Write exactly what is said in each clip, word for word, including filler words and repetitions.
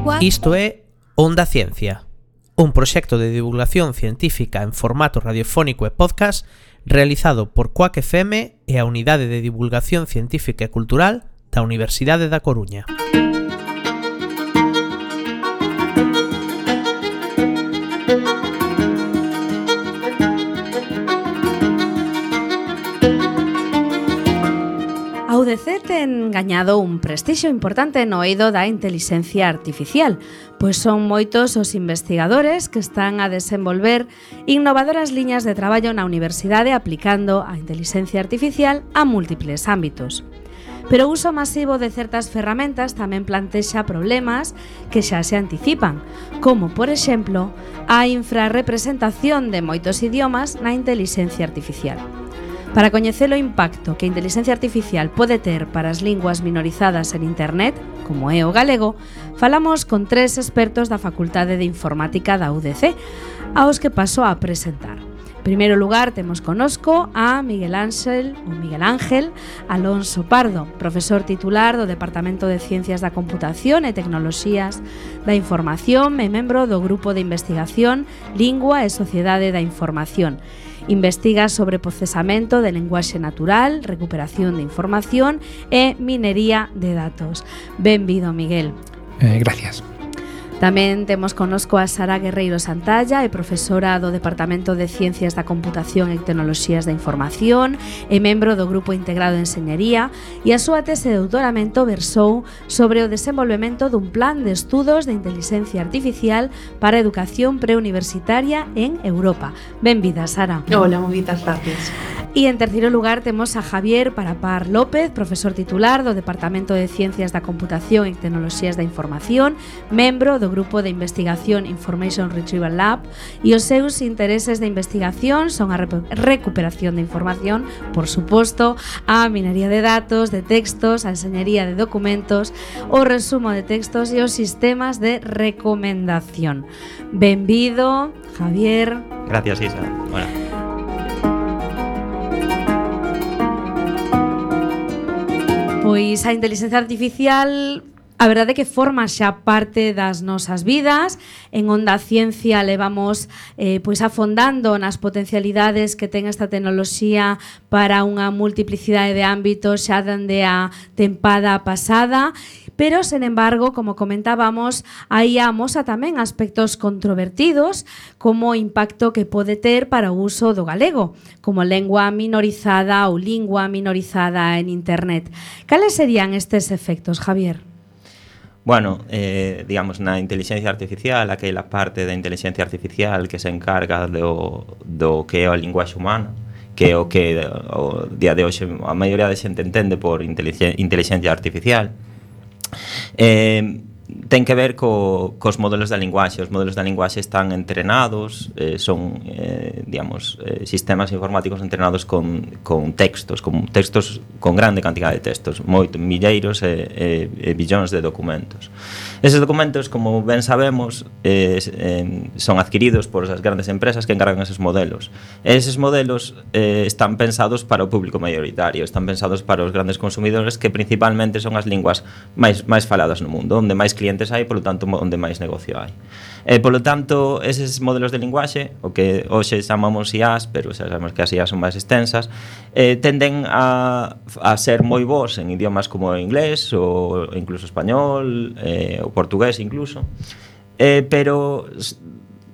Isto é Onda Ciencia, un proxecto de divulgación científica en formato radiofónico e podcast realizado por Quack F M e a Unidade de Divulgación Científica e Cultural da Universidade da Coruña. A U D C ten gañado un prestixio importante no eido da intelixencia artificial, pois son moitos os investigadores que están a desenvolver innovadoras liñas de traballo na universidade aplicando a intelixencia artificial a múltiples ámbitos. Pero o uso masivo de certas ferramentas tamén plantexa problemas que xa se anticipan, como, por exemplo, a infrarrepresentación de moitos idiomas na intelixencia artificial. Para coñecer o impacto que a intelixencia artificial pode ter para as linguas minorizadas en Internet, como é o galego, falamos con tres expertos da Facultade de Informática da U D C, aos que paso a presentar. En primeiro lugar, temos conosco a Miguel Ángel, ou Miguel Ángel Alonso Pardo, profesor titular do Departamento de Ciencias da Computación e Tecnoloxías da Información e membro do Grupo de Investigación Lingua e Sociedade da Información. Investiga sobre procesamento de lenguaxe natural, recuperación de información e minería de datos. Benvido, Miguel. Eh, gracias. Tamén temos conosco a Sara Guerreiro Santalla, é profesora do Departamento de Ciencias da Computación e Tecnoloxías da Información e membro do Grupo Integrado de Enseñería, e a súa tese de doutoramento versou sobre o desenvolvemento dun plan de estudos de inteligencia artificial para a educación preuniversitaria en Europa. Benvida, Sara. Hola, moitas gracias. E en terceiro lugar temos a Javier Parapar López, profesor titular do Departamento de Ciencias da Computación e Tecnoloxías da Información, membro do Grupo de Investigación Information Retrieval Lab, e os seus intereses de investigación son a recuperación de información, por suposto, a minería de datos, de textos, a enseñería de documentos, o resumo de textos e os sistemas de recomendación. Benvido, Javier. Gracias, Isa. Bueno. Pois a inteligencia artificial, a verdade é que forma xa parte das nosas vidas. En Onda Ciencia levamos eh, pois afondando nas potencialidades que ten esta tecnoloxía para unha multiplicidade de ámbitos xa dende a tempada pasada. Pero, sen embargo, como comentábamos, aí amosa tamén aspectos controvertidos como o impacto que pode ter para o uso do galego, como lengua minorizada ou lingua minorizada en Internet. Cales serían estes efectos, Javier? Bueno, eh, digamos, na inteligencia artificial, aquela parte da inteligencia artificial que se encarga do, do que é a linguaxe humana, que é o que o día de hoxe a maioría de xente entende por inteligencia artificial, Eh, ten que ver co, cos modelos da linguaxe. Os modelos da linguaxe están entrenados, eh, son, eh, digamos, eh, sistemas informáticos entrenados con, con textos, con textos con grande cantidad de textos, moito, milleiros e, e, e billóns de documentos. Eses documentos, como ben sabemos, eh, eh, son adquiridos por as grandes empresas que encargan eses modelos. E eses modelos eh, están pensados para o público maioritario, están pensados para os grandes consumidores, que principalmente son as linguas máis, máis faladas no mundo, onde máis clientes hai, polo tanto, onde máis negocio hai. E, polo tanto, eses modelos de linguaxe, o que hoxe chamamos I As, pero xa sabemos que as I As son máis extensas, eh, tenden a, a ser moi bons en idiomas como o inglés, ou incluso español, eh, o portugués incluso, eh, pero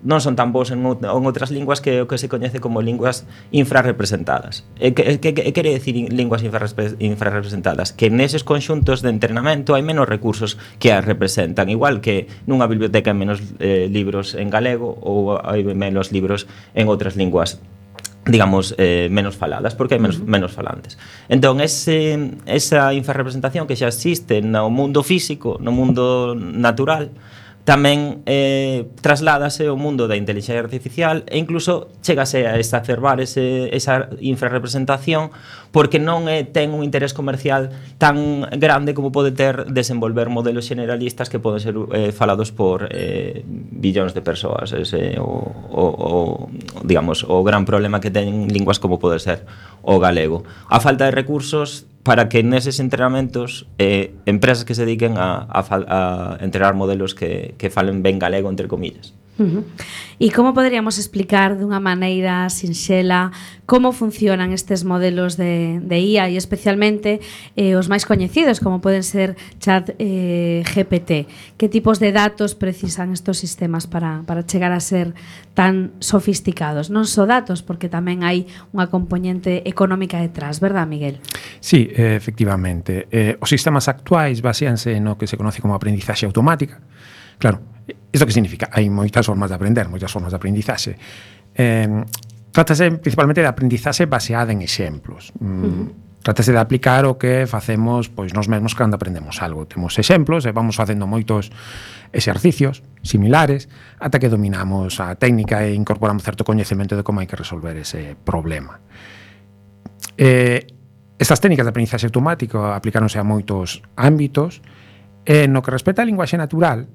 non son tan bons en, en outras linguas que o que se coñece como linguas infrarrepresentadas. E que, que, que quere decir linguas infrarrepresentadas? Que neses conxuntos de entrenamento hai menos recursos que as representan, igual que nunha biblioteca hai menos eh, libros en galego ou hai menos libros en outras linguas, digamos, eh, menos faladas, porque hai menos, menos falantes. Entón, ese, esa infrarrepresentación que xa existe no mundo físico, no mundo natural, tamén eh, trasládase ao mundo da inteligencia artificial e incluso chegase a exacerbar ese, esa infrarrepresentación, porque non é, ten un interés comercial tan grande como pode ter desenvolver modelos generalistas que poden ser eh, falados por eh, billóns de persoas. Ese o, o, o, digamos, o gran problema que ten linguas como pode ser o galego. A falta de recursos para que neses entrenamentos eh, empresas que se dediquen a, a, a entrenar modelos que, que falen ben galego, entre comillas. Uh-huh. E como poderíamos explicar dunha maneira sinxela como funcionan estes modelos de, de I A e especialmente eh, os máis coñecidos como poden ser Chat eh, G P T? Que tipos de datos precisan estos sistemas para, para chegar a ser tan sofisticados? Non só datos, porque tamén hai unha componente económica detrás, verdad, Miguel? Sí, eh, efectivamente. Eh, os sistemas actuais baseanse no que se conoce como aprendizaxe automática. Claro, isto que significa? Hai moitas formas de aprender, moitas formas de aprendizaxe. Eh, trátase principalmente de aprendizaxe baseada en exemplos. Uh-huh. Trátase de aplicar o que facemos pois nós mesmos cando aprendemos algo. Temos exemplos e vamos facendo moitos exercicios similares ata que dominamos a técnica e incorporamos certo coñecemento de como hai que resolver ese problema. Eh, estas técnicas de aprendizaxe automático aplicaronse a moitos ámbitos e no que respecta á linguaxe natural.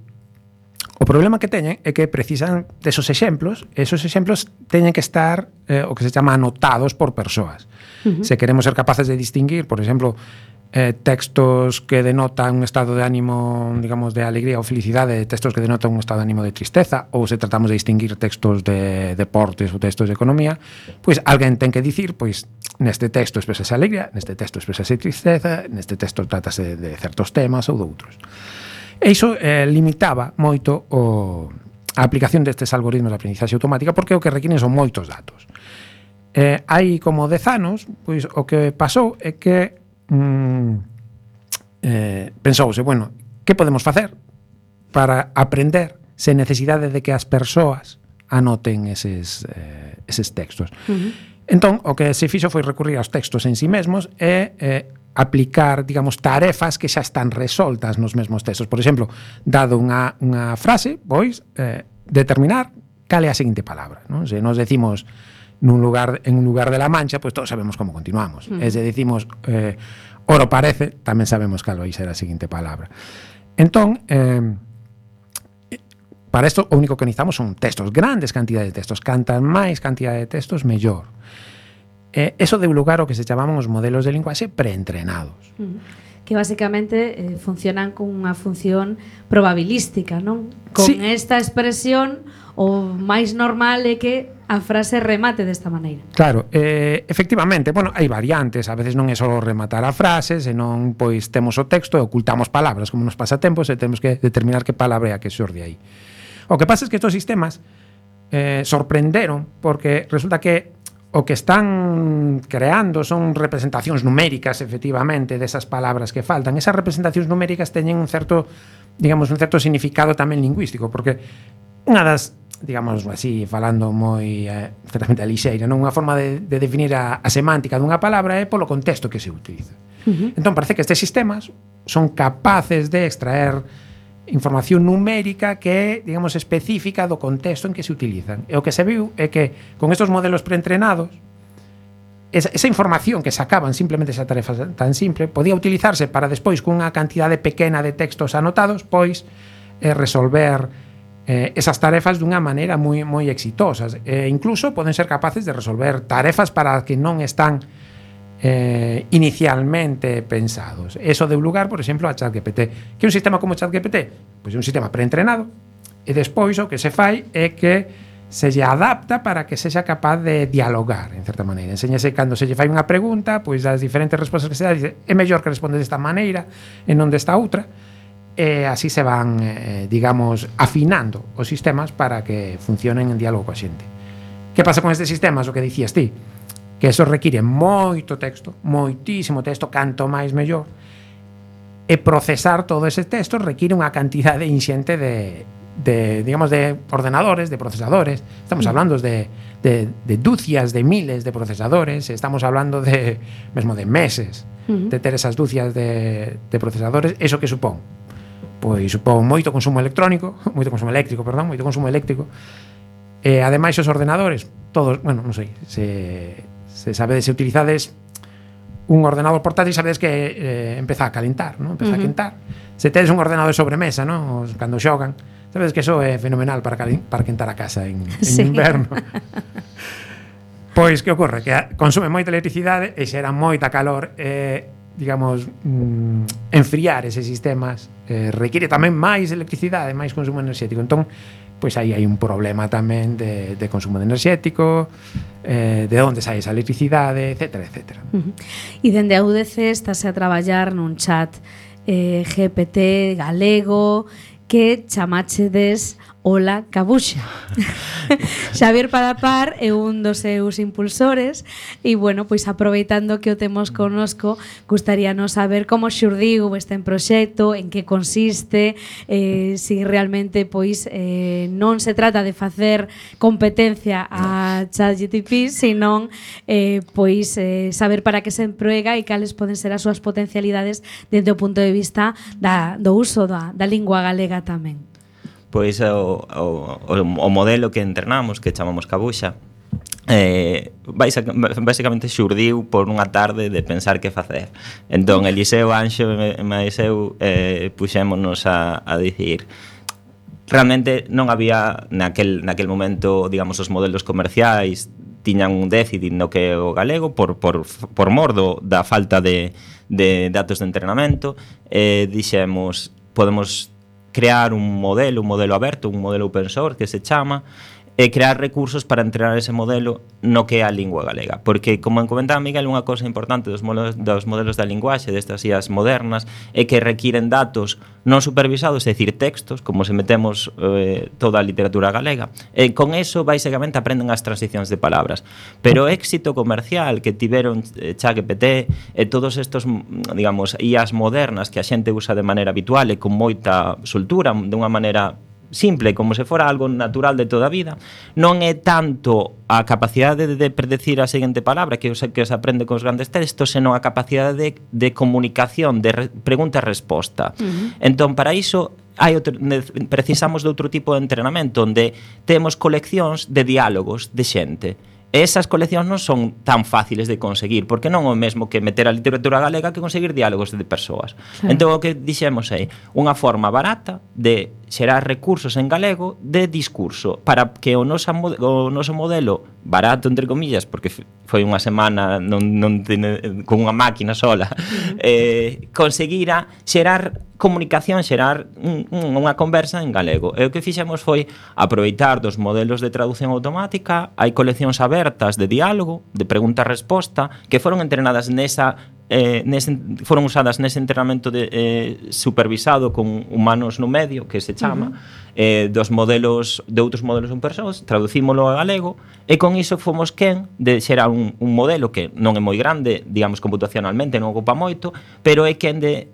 O problema que teñen é que precisan desos exemplos, e esos exemplos teñen que estar eh, o que se chama anotados por persoas. Uh-huh. Se queremos ser capaces de distinguir, por exemplo, eh, textos que denotan un estado de ánimo, digamos, de alegría ou felicidade, de textos que denotan un estado de ánimo de tristeza, ou se tratamos de distinguir textos de deportes ou textos de economía, pois alguén ten que dicir, pois, neste texto expresase alegría, neste texto expresase tristeza, neste texto tratase de certos temas ou de outros. E iso eh, limitaba moito o, a aplicación destes algoritmos de aprendizaxe automática porque o que requiren son moitos datos. Eh, hai como dez anos, pois o que pasou é que mm, eh, pensouse, bueno, que podemos facer para aprender sen necesidade de que as persoas anoten eses, eh, eses textos. Uh-huh. Entón, o que se fixo foi recurrir aos textos en sí mesmos e eh, aplicar, digamos, tarefas que xa están resoltas nos mesmos textos. Por exemplo, dado unha, unha frase, pois, eh, determinar cal é a seguinte palabra, non? Se nos decimos nun lugar, en un lugar de la Mancha, pois todos sabemos como continuamos. Mm. E se decimos eh, oro parece, tamén sabemos cal vai ser a seguinte palabra. Entón, eh, para isto, o único que necesitamos son textos, grandes cantidades de textos. Cantas máis cantidade de textos, mellor. Eh, eso deu lugar ao que se chamaban os modelos de linguaxe preentrenados. Uh-huh. Que basicamente eh, funcionan con unha función probabilística, non? Con sí. Esta expresión, o máis normal é que a frase remate desta maneira. Claro, eh, efectivamente, bueno, hai variantes, a veces non é só rematar a frase, senón pois temos o texto e ocultamos palabras, como nos pasa tempos, e temos que determinar que palabra é a que xorde aí. O que pasa é que estes sistemas eh, sorprenderon, porque resulta que o que están creando son representacións numéricas, efectivamente, desas palabras que faltan. Esas representacións numéricas teñen un certo, digamos, un certo significado tamén lingüístico, porque unha das, digamos así, falando moi eh, certamente a lixeira, non? Unha forma de, de definir a, a semántica dunha palabra é polo contexto que se utiliza. Uh-huh. Entón, parece que estes sistemas son capaces de extraer información numérica que é, digamos, específica do contexto en que se utilizan. E o que se viu é que con estos modelos preentrenados esa, esa información que sacaban simplemente esa tarefa tan simple podía utilizarse para despois cunha cantidade pequena de textos anotados pois eh, resolver eh, esas tarefas dunha maneira moi, moi exitosas. E incluso poden ser capaces de resolver tarefas para que non están Eh, inicialmente pensados. Eso deu lugar, por exemplo, a ChatGPT. Que é un sistema como ChatGPT? Pois é un sistema preentrenado e despois o que se fai é que se lle adapta para que sexa capaz de dialogar, en certa maneira. Enséñase cando se lle fai unha pregunta, pois das diferentes respostas que se dá, dice, é mellor que responde desta maneira e non desta outra, e así se van, eh, digamos, afinando os sistemas para que funcionen en diálogo coa xente. Que pasa con estes sistemas? O que dicías ti, que eso require moito texto, moitísimo texto, canto máis mellor, e procesar todo ese texto require unha cantidade inxente de, de, digamos, de ordenadores, de procesadores. Estamos hablando de, de, de dúcias de miles de procesadores, estamos hablando de, mesmo de meses, uh-huh. de ter esas dúcias de, de procesadores. Eso que supón? Pois supón moito consumo electrónico, moito consumo eléctrico, perdón, moito consumo eléctrico, e ademais os ordenadores, todos, bueno, non sei, se... se sabedes, se utilizades un ordenador portátil, sabedes que eh, empeza a calentar, ¿no? Empeza uh-huh. a quentar. Se tedes un ordenador de sobremesa, ¿no? Cando xogan, sabedes que eso é fenomenal para, calen- para quentar a casa en, en sí. inverno. Pois, que ocorre? Que consume moita electricidade e xera moita calor. Eh, digamos, mm, enfriar eses sistemas eh, require tamén máis electricidade, máis consumo enerxético. Entón, pois aí hai un problema tamén de, de consumo de enerxético, eh, de onde sai esa electricidade, etcétera, etcétera. Uh-huh. E dende a U D C estase a traballar nun chat eh, G P T galego que chamachedes Ola Cabuxa. Xavier Parapar é un dos seus impulsores e, bueno, pois aproveitando que o temos connosco, gustaríanos saber como xurdiu este proxecto, en que consiste, eh, si realmente pois eh, non se trata de facer competencia a ChatGPT, senón eh, pois eh, saber para que se emprega e cales poden ser as súas potencialidades desde o punto de vista da, do uso da, da lingua galega tamén. Pois o, o, o modelo que entrenamos, que chamamos Cabuxa, eh, basicamente xurdiu por unha tarde de pensar que facer. Entón, Eliseo, Anxo e máis eu eh, puxémonos a, a dicir, realmente non había naquel, naquel momento, digamos, os modelos comerciais tiñan un déficit no que o galego por, por, por mor do, da falta de, de datos de entrenamento. Eh, dixemos, podemos crear un modelo, un modelo aberto, un modelo open source que se chama, e crear recursos para entrenar ese modelo no que é a lingua galega. Porque, como comentaba Miguel, unha cosa importante dos modelos, dos modelos da linguaxe, destas I As modernas, é que requiren datos non supervisados, é dicir, textos, como se metemos eh, toda a literatura galega. E con eso, basicamente, aprenden as transicións de palabras. Pero o éxito comercial que tiveron eh, ChatGPT e todos estos, digamos, I As modernas que a xente usa de maneira habitual e con moita soltura, de unha maneira simple, como se fora algo natural de toda a vida, non é tanto a capacidade de predecir a seguinte palabra que, que se aprende cos grandes textos, senón a capacidade de, de comunicación, de re, pregunta e resposta. Uh-huh. Entón, para iso hai outro, precisamos de outro tipo de entrenamento onde temos coleccións de diálogos de xente. E esas coleccións non son tan fáciles de conseguir, porque non é o mesmo que meter a literatura galega que conseguir diálogos de persoas. Sí. Entón, o que dixemos é unha forma barata de xerar recursos en galego de discurso para que o noso, o noso modelo, barato entre comillas, porque foi unha semana non, non tene, con unha máquina sola, uh-huh. eh, conseguira xerar comunicación, xerar un, un, unha conversa en galego. E o que fixemos foi aproveitar dos modelos de traducción automática, hai coleccións abertas de diálogo, de pregunta-resposta, que foron entrenadas nesa Eh, nese, foron usadas nese entrenamento de, eh, supervisado con humanos no medio, que se chama, uh-huh. eh, dos modelos, de outros modelos en persoas, traducímolo a galego, e con iso fomos quen de xerar un, un modelo que non é moi grande, digamos, computacionalmente, non ocupa moito, pero é quen de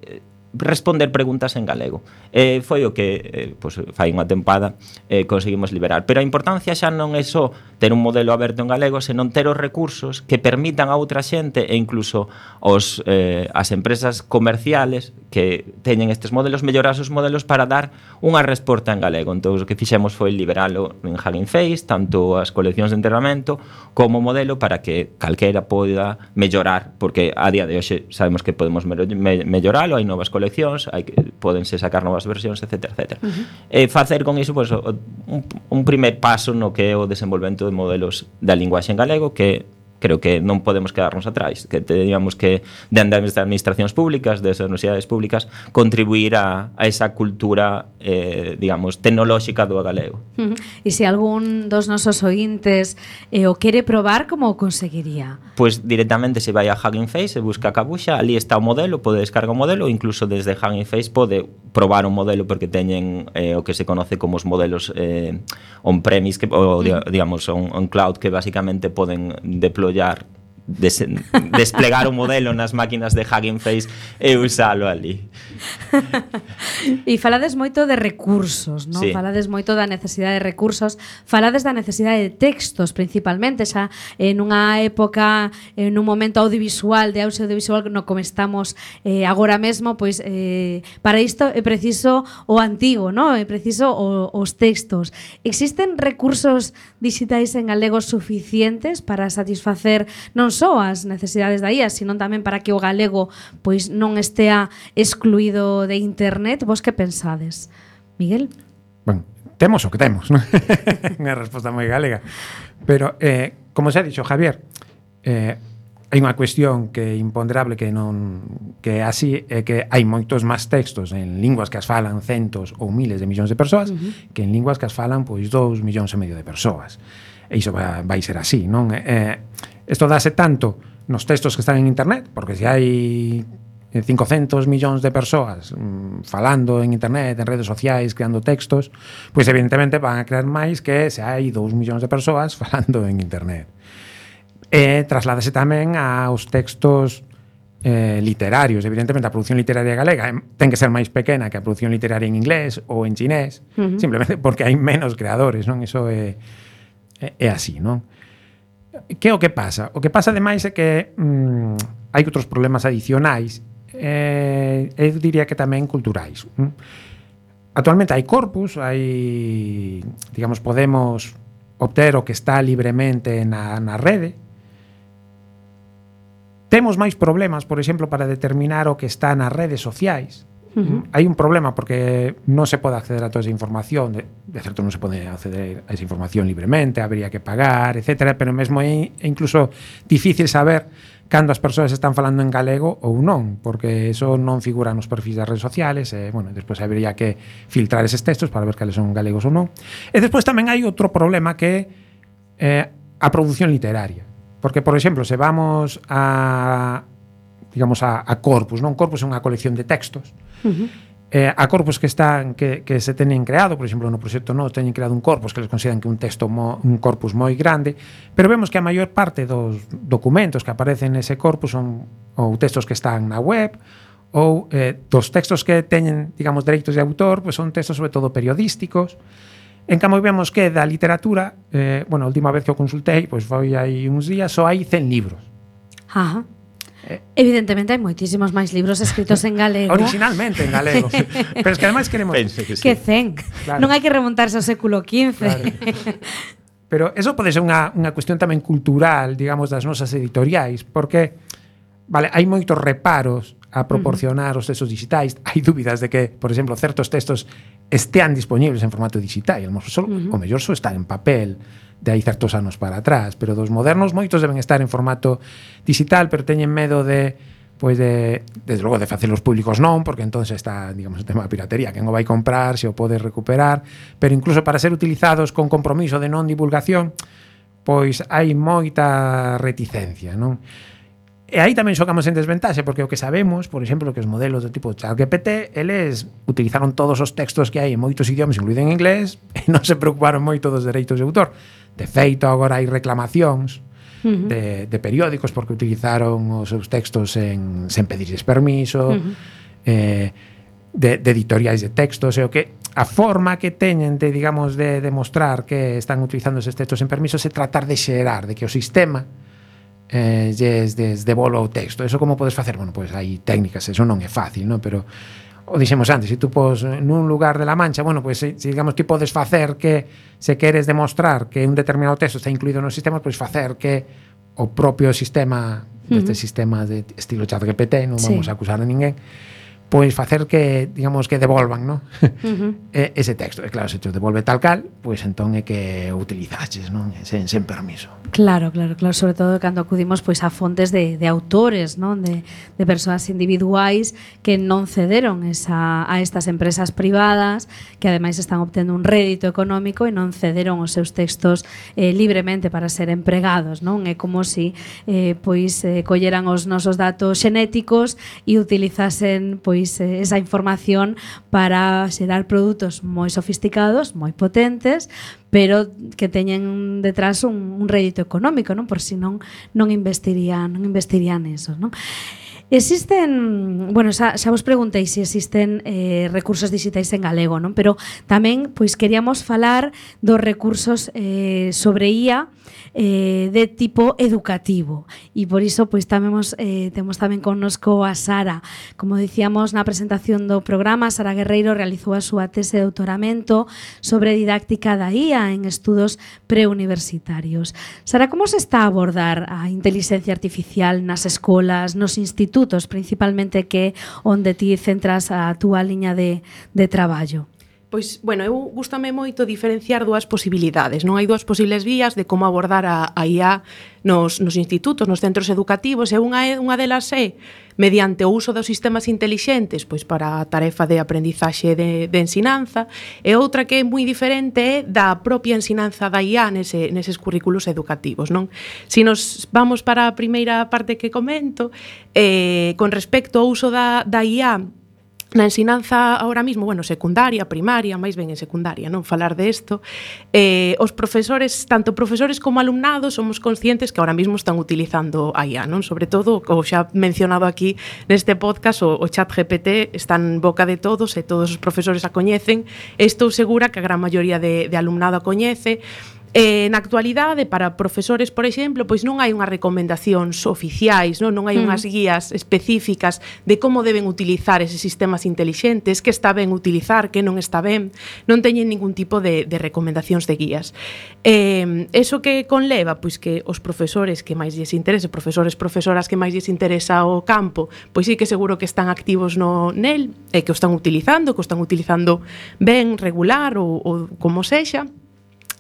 responder preguntas en galego. Eh, foi o que, eh, pues, fai unha tempada eh, conseguimos liberar. Pero a importancia xa non é só ter un modelo aberto en galego, senón ter os recursos que permitan a outra xente e incluso os, eh, as empresas comerciales que teñen estes modelos, mellorar os modelos para dar unha resposta en galego. Entón, o que fixemos foi liberalo en Hugging Face, tanto as coleccións de entrenamento como o modelo para que calquera poida mellorar, porque a día de hoxe sabemos que podemos melloralo, hai novas coleccións coleccións, hai que pódense sacar novas versións, etcétera, etcétera. Uh-huh. E facer con iso pues, un, un primer paso no que é o desenvolvemento de modelos da linguaxe en galego, que creo que non podemos quedarnos atrás, que teníamos que, dende as administracións públicas, das universidades públicas, contribuir a, a esa cultura, eh, digamos, tecnolóxica do galego. Uh-huh. E se algún dos nosos ointes eh, o quere probar, como o conseguiría? Pois directamente se vai a Hugging Face e busca a Cabuxa, ali está o modelo, pode descargar o modelo, incluso desde Hugging Face pode probar un modelo porque teñen eh, o que se conoce como os modelos eh, on-premise, que, o, uh-huh. digamos, on, on cloud, que basicamente poden deployar Des, desplegar o modelo nas máquinas de Hugging Face e usalo ali. E falades moito de recursos, non? Sí. Falades moito da necesidade de recursos, falades da necesidade de textos principalmente, xa en unha época, en un momento audiovisual, de audio audiovisual no como estamos eh, agora mesmo, pois eh, para isto é preciso o antigo, non? É preciso o, os textos. Existen recursos digitais en galego suficientes para satisfacer non só as necesidades da I A, sino tamén para que o galego pois non estea excluído de internet? Vos que pensades? Miguel? Bueno, temos o que temos, non? Unha resposta moi galega. Pero, eh, como se ha dixo Javier, eh, hai unha cuestión que é imponderable que non que é así, é que hai moitos máis textos en linguas que as falan centos ou miles de millóns de persoas uh-huh. que en linguas que as falan pois dous millóns e medio de persoas. E iso vai, vai ser así, non? Eh, isto dáse tanto nos textos que están en internet, porque se hai cincocentos millóns de persoas mmm, falando en internet, en redes sociais, creando textos, pois evidentemente van a crear máis que se hai dous millóns de persoas falando en internet. E trasládase tamén aos textos eh, literarios. Evidentemente, a produción literaria galega ten que ser máis pequena que a produción literaria en inglés ou en chinés, uh-huh. simplemente porque hai menos creadores, non? Iso é, é, é así, non? Que é o que pasa? O que pasa, ademais, é que mm, hai outros problemas adicionais, eh, eu diría que tamén culturais. Mm? Actualmente hai corpus, hai, digamos, podemos obter o que está libremente na, na rede. Temos máis problemas, por exemplo, para determinar o que está nas redes sociais. Uh-huh. Hai un problema porque non se pode acceder a toda esa información, de, de certo non se pode acceder a esa información libremente, habría que pagar, etcétera, pero mesmo é incluso difícil saber cando as persoas están falando en galego ou non, porque eso non figura nos perfis das redes sociales, e, bueno, despois habría que filtrar eses textos para ver cales son galegos ou non. E despois tamén hai outro problema que é eh, a produción literaria. Porque, por exemplo, se vamos a, digamos, a, a corpus, non? Corpus é unha colección de textos. Uh-huh. Eh, a corpus que están que, que se teñen creado, por exemplo, no proxecto no teñen creado un corpus que les consideran que un texto mo, un corpus moi grande, pero vemos que a maior parte dos documentos que aparecen nese corpus son ou textos que están na web ou eh, dos textos que teñen, digamos, dereitos de autor, pues son textos sobre todo periodísticos. En cambio, vemos que da literatura, eh, bueno, a última vez que o consultei, pois foi hai uns días, só hai cen libros. Ajá. Eh, Evidentemente hai moitísimos máis libros escritos en galego. Originalmente en galego. Pero es que ademais queremos... Que, sí. que cen. Claro. Non hai que remontarse ao século quince. Claro. Pero eso pode ser unha, unha cuestión tamén cultural, digamos, das nosas editoriais, porque, vale, hai moitos reparos a proporcionar uh-huh. os textos digitais. Hai dúbidas de que, por exemplo, certos textos estean disponibles en formato digital, e uh-huh. o mellor só está en papel de hai certos anos para atrás, pero dos modernos moitos deben estar en formato digital, pero teñen medo de, pois de, desde logo, de facelos públicos non, porque entonces está, digamos, o tema da piratería, quen o vai comprar, se o pode recuperar, pero incluso para ser utilizados con compromiso de non divulgación, pois hai moita reticencia, non? E aí tamén xogamos en desventaxe, porque o que sabemos, por exemplo, que os modelos do tipo ChatGPT, eles utilizaron todos os textos que hai en moitos idiomas, incluído en inglés, e non se preocuparon moito dos dereitos de autor. De feito, agora hai reclamacións uh-huh. de, de periódicos porque utilizaron os seus textos en, sen pedirles permiso, uh-huh. eh, de, de editoriais de textos, e o que a forma que teñen de, digamos, de demostrar que están utilizando eses textos en permiso é tratar de xerar, de que o sistema eh, lles des devolva o texto. Eso como podes facer? Bueno, pois pues hai técnicas, eso non é fácil, non? Pero o dixemos antes, se tú pos nun lugar de la Mancha, bueno, pois pues, se, digamos, ti podes facer que se queres demostrar que un determinado texto está incluído no sistema, pois pues facer que o propio sistema, uh-huh. deste sistema de estilo ChatGPT, non vamos sí. a acusar a ninguén, pois facer que, digamos, que devolvan, non? Uh-huh. ese texto. E claro, se te devolve tal cal, pois entón é que o utilizaches, non? Sen, sen permiso. Claro, claro, claro, sobre todo cando acudimos pois a fontes de, de autores, non? De, de persoas individuais que non cederon esa, a estas empresas privadas que ademais están obtendo un rédito económico e non cederon os seus textos eh, libremente para ser empregados, non? É como si eh, pois eh, colleran os nosos datos xenéticos e utilizasen pois esa información para xerar produtos moi sofisticados, moi potentes, pero que teñen detrás un, un rédito económico, non? Por si non non investirían, non investirían eso, non? Existen, bueno, xa, xa vos preguntei se existen eh, recursos digitais en galego, non? Pero tamén pois queríamos falar dos recursos eh, sobre I A eh, de tipo educativo, e por iso pois tamén temos, eh, temos tamén connosco a Sara. Como dicíamos na presentación do programa, Sara Guerreiro realizou a súa tese de doutoramento sobre didáctica da I A en estudos preuniversitarios. Sara, como se está a abordar a inteligencia artificial nas escolas, nos institutos, principalmente, que onde ti centras a túa liña de, de traballo? Pois, bueno, eu gústame moito diferenciar dúas posibilidades. Non hai dúas posibles vías de como abordar a, a I A nos, nos institutos, nos centros educativos, e unha, unha delas é mediante o uso dos sistemas intelixentes pois para a tarefa de aprendizaxe de, de ensinanza, e outra que é moi diferente é da propia ensinanza da I A nese, neses currículos educativos, non? Si nos vamos para a primeira parte que comento, eh, con respecto ao uso da, da I A na ensinanza ahora mismo, bueno, secundaria, primaria, máis ben en secundaria, non falar de isto, eh, os profesores, tanto profesores como alumnados, somos conscientes que ahora mismo están utilizando a I A, non? Sobre todo, como xa mencionado aquí neste podcast, o, o chat G P T está en boca de todos e todos os profesores a coñecen. Estou segura que a gran maioría de, de alumnado a coñece. Eh, na actualidade, para profesores, por exemplo, pois non hai unhas recomendacións oficiais, non, non hai mm. unhas guías específicas de como deben utilizar eses sistemas intelixentes, que está ben utilizar, que non está ben, non teñen ningún tipo de, de recomendacións de guías. Eh, eso que conleva, pois que os profesores que máis lles interese, profesores, profesoras que máis lles interesa o campo, pois sí que seguro que están activos no nel, e que o están utilizando, que o están utilizando ben, regular ou, ou como sexa.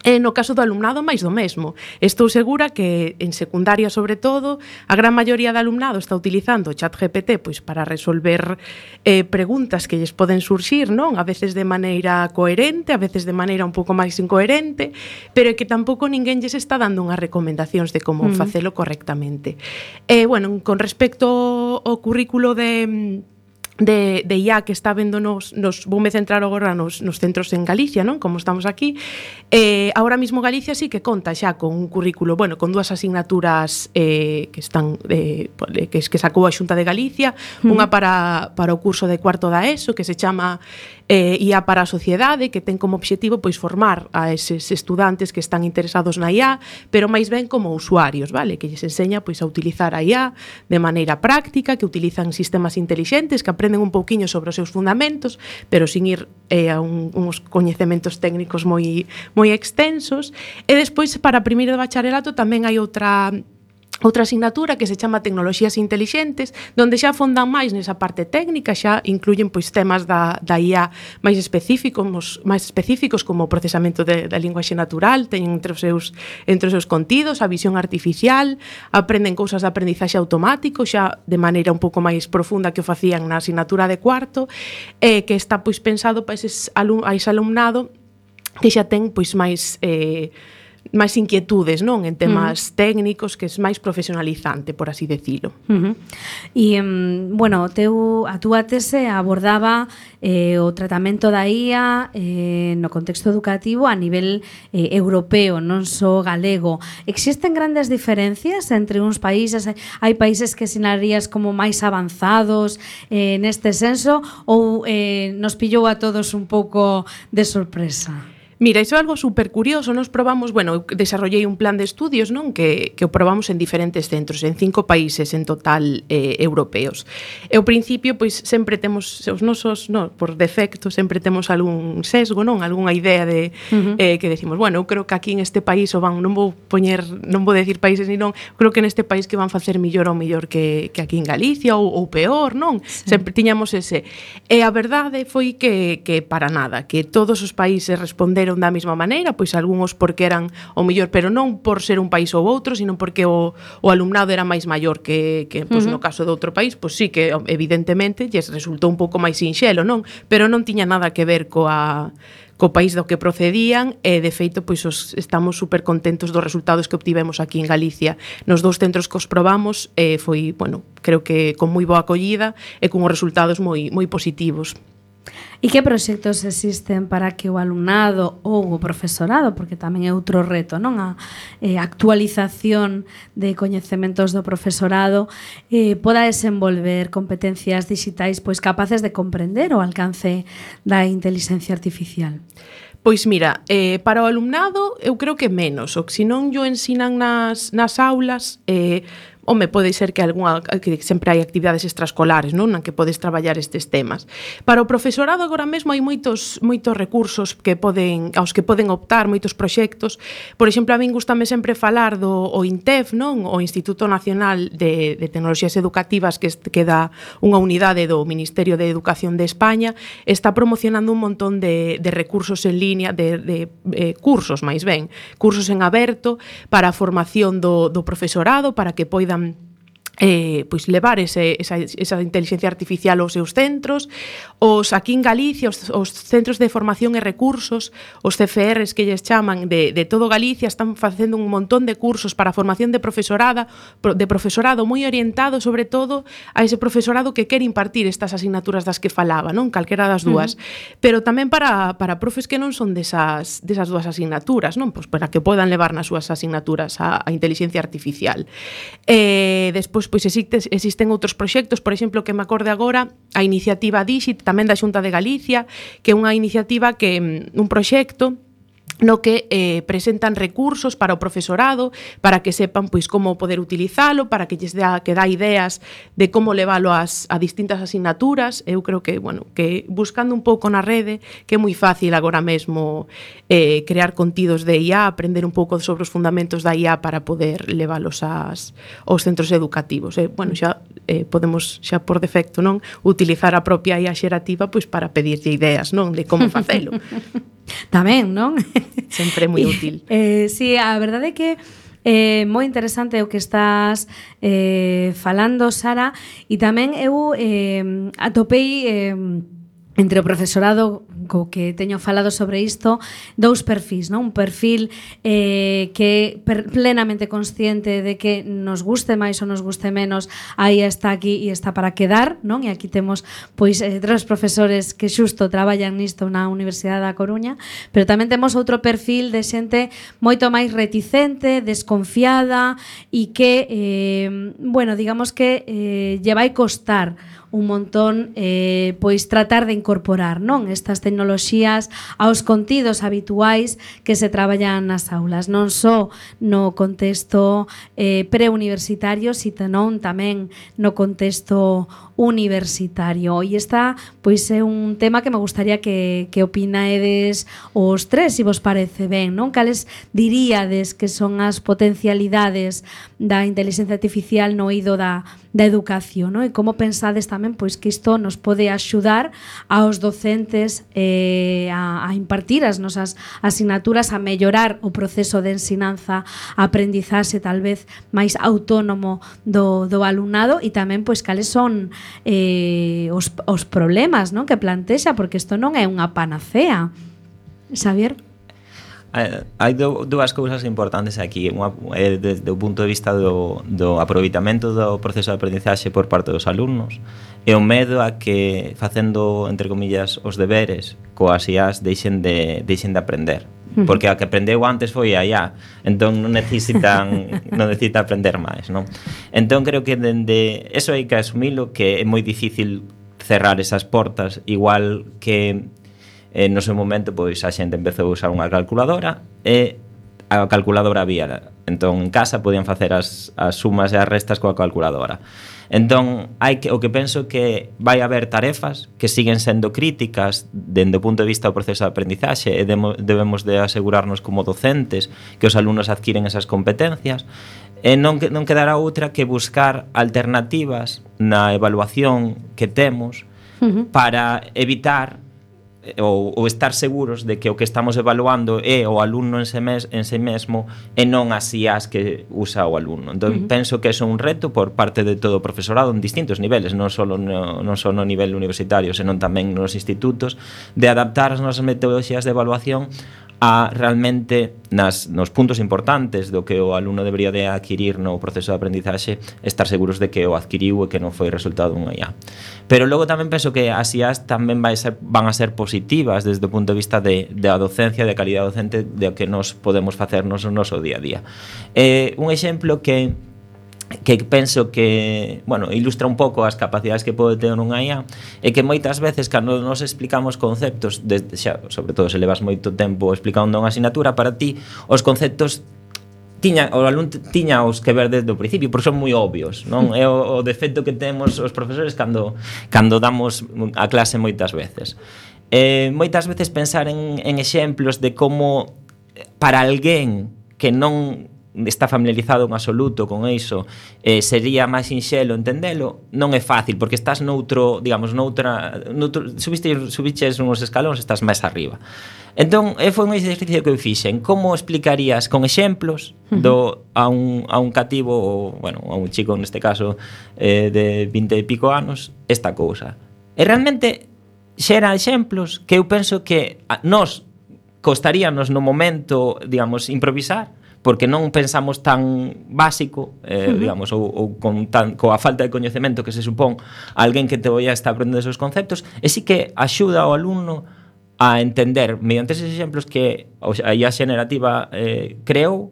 E no caso do alumnado, máis do mesmo. Estou segura que en secundaria, sobre todo, a gran maioría do alumnado está utilizando o chat G P T pois para resolver eh, preguntas que lles poden surxir, non? A veces de maneira coherente, a veces de maneira un pouco máis incoherente, pero é que tampouco ninguén lles está dando unhas recomendacións de como uh-huh. facelo correctamente. E, bueno, con respecto ao currículo de... de, de I A que está vendo nos, nos voume centrar agora nos, nos centros en Galicia, non? Como estamos aquí, eh, ahora mismo Galicia sí que conta xa con un currículo, bueno, con dúas asignaturas eh, que están eh, que, que sacou a Xunta de Galicia, mm. unha para, para o curso de cuarto da ESO, que se chama eh, I A para a sociedade, que ten como obxectivo pois formar a eses estudantes que están interesados na I A, pero máis ben como usuarios, vale? Que lles enseña pois a utilizar a I A de maneira práctica, que utilizan sistemas intelixentes, que aprenden un pouquiño sobre os seus fundamentos, pero sin ir eh, a un, uns coñecementos técnicos moi moi extensos. E despois, para primeiro de bacharelato, tamén hai outra outra asignatura que se chama Tecnoloxías Intelixentes, donde xa fondan máis nesa parte técnica, xa incluyen pois temas da, da I A máis específicos, máis específicos como o procesamento de, da linguaxe natural, teñen entre os seus entre os seus contidos a visión artificial, aprenden cousas de aprendizaxe automático, xa de maneira un pouco máis profunda que o facían na asignatura de cuarto, e que está pois pensado para ese alum, alumnado que xa ten pois máis eh, máis inquietudes, non, en temas uh-huh. técnicos, que é máis profesionalizante, por así decilo. Uh-huh. E, um, bueno, teu, a túa tese abordaba eh, o tratamento da I A eh, no contexto educativo a nivel eh, europeo, non só galego. Existen grandes diferencias entre uns países? Hai países que sinarías como máis avanzados eh, neste senso, ou eh, nos pillou a todos un pouco de sorpresa? Mira, iso é algo super curioso. Nos probamos, bueno, eu desarrollei un plan de estudios, non, que, que o probamos en diferentes centros, en cinco países en total eh, europeos. E ao principio, pois, sempre temos os nosos, no, por defecto, sempre temos algún sesgo, non, algunha idea de uh-huh. eh, que decimos, bueno, eu creo que aquí en este país o van, non vou poñer, non vou decir países ni non, creo que neste país que van facer millor ou millor que, que aquí en Galicia ou, ou peor, non? Sí. Sempre tiñamos ese. E a verdade foi que, que para nada, que todos os países responderon da mesma maneira, pois algúns porque eran o mellor, pero non por ser un país ou outro, sino porque o, o alumnado era máis maior que, que pois, uh-huh. no caso de outro país, pois sí que evidentemente lles resultou un pouco máis sinxelo, non? Pero non tiña nada que ver coa co país do que procedían, e de feito pois os, estamos super contentos dos resultados que obtivemos aquí en Galicia. Nos dous centros que os probamos eh, foi, bueno, creo que con moi boa acollida e con os resultados moi moi positivos. E que proxectos existen para que o alumnado ou o profesorado, porque tamén é outro reto, non, a eh, actualización de coñecementos do profesorado, eh, poda desenvolver competencias digitais pois capaces de comprender o alcance da inteligencia artificial? Pois mira, eh, para o alumnado eu creo que menos, o que se non yo ensinan nas, nas aulas, eh, home, pode ser que algunha que sempre hai actividades extraescolares, non, na que podes traballar estes temas. Para o profesorado agora mesmo hai moitos moitos recursos que poden aos que poden optar, moitos proxectos. Por exemplo, a min gustame sempre falar do o INTEF, non, o Instituto Nacional de, de Tecnoloxías Educativas, que, que dá unha unidade do Ministerio de Educación de España, está promocionando un montón de, de recursos en línea, de, de eh, cursos, máis ben, cursos en aberto para a formación do, do profesorado, para que poidan Eh, pois levar ese, esa, esa inteligencia artificial aos seus centros. Os aquí en Galicia, os, os centros de formación e recursos, os C F Rs que lles chaman de, de todo Galicia, están facendo un montón de cursos para a formación de profesorada, de profesorado moi orientado sobre todo a ese profesorado que quere impartir estas asignaturas das que falaba, non, calquera das dúas, uh-huh. Pero tamén para, para profes que non son desas, desas dúas asignaturas, non, pois para que podan levar nas súas asignaturas a, a inteligencia artificial. Eh, despois pois existe, existen outros proxectos, por exemplo, que me acorde agora, a iniciativa Dixit, tamén da Xunta de Galicia, que é unha iniciativa que un proxecto no que eh, presentan recursos para o profesorado, para que sepan pois como poder utilizalo, para que lles dá, que dá ideas de como levalo as, a distintas asignaturas. Eu creo que, bueno, que buscando un pouco na rede, que é moi fácil agora mesmo eh, crear contidos de I A, aprender un pouco sobre os fundamentos da I A para poder levalos ás, aos centros educativos. Eh, bueno, xa eh, podemos xa por defecto, non, utilizar a propia I A xerativa pois para pedirlle ideas, non, de como facelo. Tamén, non? Sempre moi útil. Eh, sí, a verdade é que é eh, moi interesante o que estás eh, falando, Sara, e tamén eu eh, atopei eh, entre o profesorado co que teño falado sobre isto, dous perfis, non? Un perfil eh, que per, plenamente consciente de que nos guste máis ou nos guste menos, aí está aquí e está para quedar, non? E aquí temos pois eh, tres profesores que xusto traballan nisto na Universidade da Coruña, pero tamén temos outro perfil de xente moito máis reticente, desconfiada e que, eh, bueno, digamos que eh, lle vai costar un montón eh, pois tratar de incorporar, non, estas tecnoloxías aos contidos habituais que se traballan nas aulas, non só no contexto eh, preuniversitario, sino tamén no contexto universitario. E esta pois é un tema que me gustaría que, que opinaedes os tres, se vos parece ben, non? Cales diríades que son as potencialidades da inteligencia artificial no eido da, da educación, non? E como pensades tamén pois que isto nos pode axudar aos docentes eh, a, a impartir as nosas asignaturas, a mellorar o proceso de ensinanza, aprendizaxe tal vez máis autónomo do, do alumnado, e tamén pois cales son eh, os, os problemas, non, que plantexa, porque isto non é unha panacea. Xavier? Hai dúas cousas importantes aquí. Unha é desde o punto de vista do, do aproveitamento do proceso de aprendizaxe por parte dos alumnos, e o medo a que, facendo, entre comillas, os deberes coas I As, deixen de, deixen de aprender. Porque a que aprendeu antes foi a I A, entón non necesitan non necesita aprender máis, non? Entón creo que dende eso hai que asumilo, que é moi difícil cerrar esas portas, igual que eh, no seu momento pois a xente empezou a usar unha calculadora e a calculadora había, entón en casa podían facer as, as sumas e as restas coa calculadora. Entón, hai que, o que penso que vai haber tarefas que siguen sendo críticas dende o punto de vista do proceso de aprendizaxe, e demo, debemos de asegurarnos como docentes que os alumnos adquiren esas competencias, e non, non quedará outra que buscar alternativas na evaluación que temos uh-huh. para evitar ou, ou estar seguros de que o que estamos evaluando é o alumno en si mes, en si mesmo e non as I As que usa o alumno. Entón, uh-huh. penso que é un reto por parte de todo o profesorado en distintos niveles, non só no, non só no nivel universitario, senón tamén nos institutos, de adaptar as nosas metodoloxías de evaluación a realmente nas, nos puntos importantes do que o alumno debería de adquirir no proceso de aprendizaxe, estar seguros de que o adquiriu e que non foi resultado dunha I A. Pero logo tamén penso que as I As tamén vai ser, van a ser positivas desde o punto de vista de, de a docencia, de calidade docente, de o que nos podemos facernos no noso día a día. Eh, un exemplo que que penso que, bueno, ilustra un pouco as capacidades que pode ter unha I A, é que moitas veces cando nos explicamos conceptos, desde xa, sobre todo se levas moito tempo explicando unha asignatura, para ti os conceptos tiña, o alumno tiña os que ver desde o principio, porque son moi obvios, non? É o, o defecto que temos os profesores cando, cando damos a clase moitas veces. Eh, moitas veces pensar en, en exemplos de como para alguén que non está familiarizado en absoluto con iso, eh, sería máis sinxelo entendelo, non é fácil, porque estás noutro, digamos, noutra, noutro, subiste, subiches uns escalóns, estás máis arriba. Entón, eh, foi un exercicio que eu fixen. Como explicarías con exemplos do, a, un, a un cativo, ou, bueno, a un chico neste caso eh, de vinte e pico anos, esta cousa? E realmente xera exemplos que eu penso que a, nos costaríanos no momento, digamos, improvisar, porque non pensamos tan básico, eh, uh-huh. digamos, ou, ou con tan, coa falta de coñecemento que se supón a alguén que te vai a estar aprendendo esos conceptos, e sí que axuda ao alumno a entender, mediante esos exemplos que a I A xenerativa eh, creou,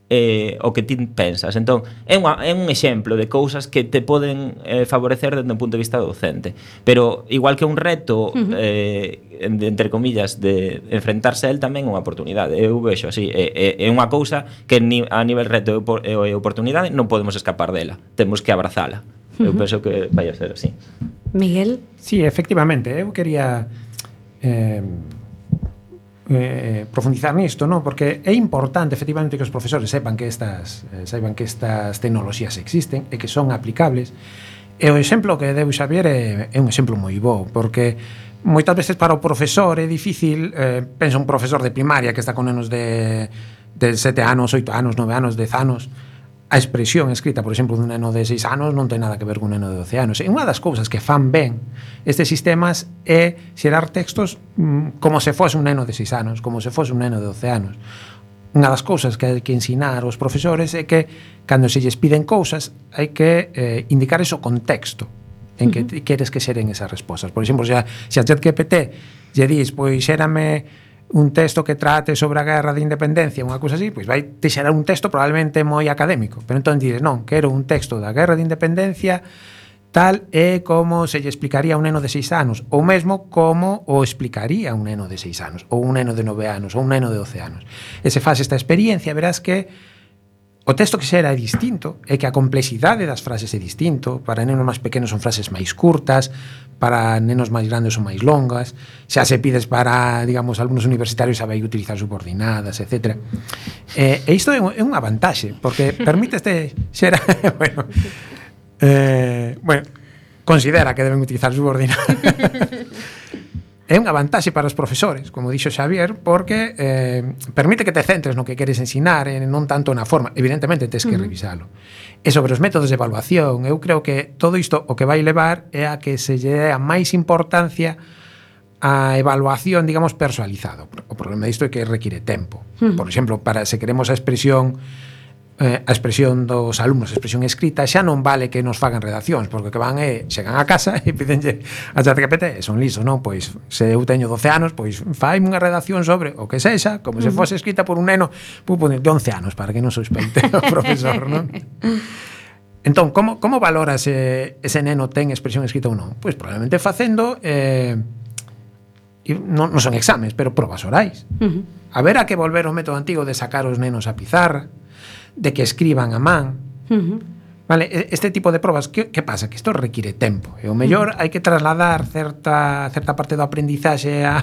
eh, o que ti pensas. Entón, é, unha, é un exemplo de cousas que te poden eh, favorecer desde un punto de vista docente. Pero, igual que un reto, uh-huh. eh, entre comillas, de enfrentarse a él, tamén é unha oportunidade. Eu vexo así, é, é unha cousa que ni, a nivel reto e oportunidade non podemos escapar dela. Temos que abrazala. Uh-huh. Eu penso que vai a ser así. Miguel? Sí, efectivamente. Eu quería... Eh, Eh, profundizar nisto, ¿no? Porque é importante efectivamente que os profesores sepan que estas eh, saiban que estas tecnoloxías existen e que son aplicables. E o exemplo que deu Xavier é, é un exemplo moi bo, porque moitas veces para o profesor é difícil, eh, pensa un profesor de primaria que está con nenos de, de sete anos, oito anos, nove anos, dez anos, a expresión escrita, por exemplo, dun neno de seis anos non ten nada que ver con un neno de doce anos. E unha das cousas que fan ben estes sistemas é xerar textos mm, como se fose un neno de seis anos, como se fose un neno de doce anos. Unha das cousas que hai que ensinar aos profesores é que cando se lles piden cousas hai que eh, indicar eso contexto en que uh-huh. queres que xeren esas respostas. Por exemplo, se a, se a ChatGPT lle dis, pois xérame un texto que trate sobre a guerra de independencia, unha cousa así, pois vai te xerar un texto probablemente moi académico, pero entón dices, non, quero un texto da guerra de independencia tal é como se lle explicaría a un neno de seis anos, ou mesmo como o explicaría un neno de seis anos, ou un neno de nove anos, ou un neno de doce anos. E se faz esta experiencia, verás que o texto que xera é distinto, é que a complexidade das frases é distinto. Para nenos máis pequenos son frases máis curtas, para nenos máis grandes son máis longas, xa se pides para, digamos, alumnos universitarios xa vai utilizar subordinadas, etcétera. E, e isto é unha vantaxe, porque permite este xera, bueno, eh, bueno, considera que deben utilizar subordinadas. É unha vantaxe para os profesores, como dixo Xavier, porque eh, permite que te centres no que queres ensinar e non tanto na forma. Evidentemente, tens que revisalo. E sobre os métodos de evaluación, eu creo que todo isto o que vai levar é a que se lle dé a máis importancia a evaluación, digamos, personalizado. O problema disto é que require tempo. Por exemplo, para se queremos a expresión Eh, a expresión dos alumnos, a expresión escrita, xa non vale que nos fagan redaccións, porque que van é, chegan a casa e pidenlle a ChatGPT, son lisos, non? Pois, se eu teño doce anos, pois faime unha redacción sobre o que sexa, como se fose escrita por un neno de once anos, para que non sospeite o profesor, non? Entón, como, como valoras se ese neno ten expresión escrita ou non? Pois probablemente facendo eh, non, non son exames, pero probas orais. Uh-huh. Haberá que volver ao método antigo de sacar os nenos a pizarra, de que escriban a man. Uh-huh. Vale, este tipo de probas, que, que pasa? Que isto require tempo. E o mellor uh-huh. hai que trasladar certa, certa parte do aprendizaxe a,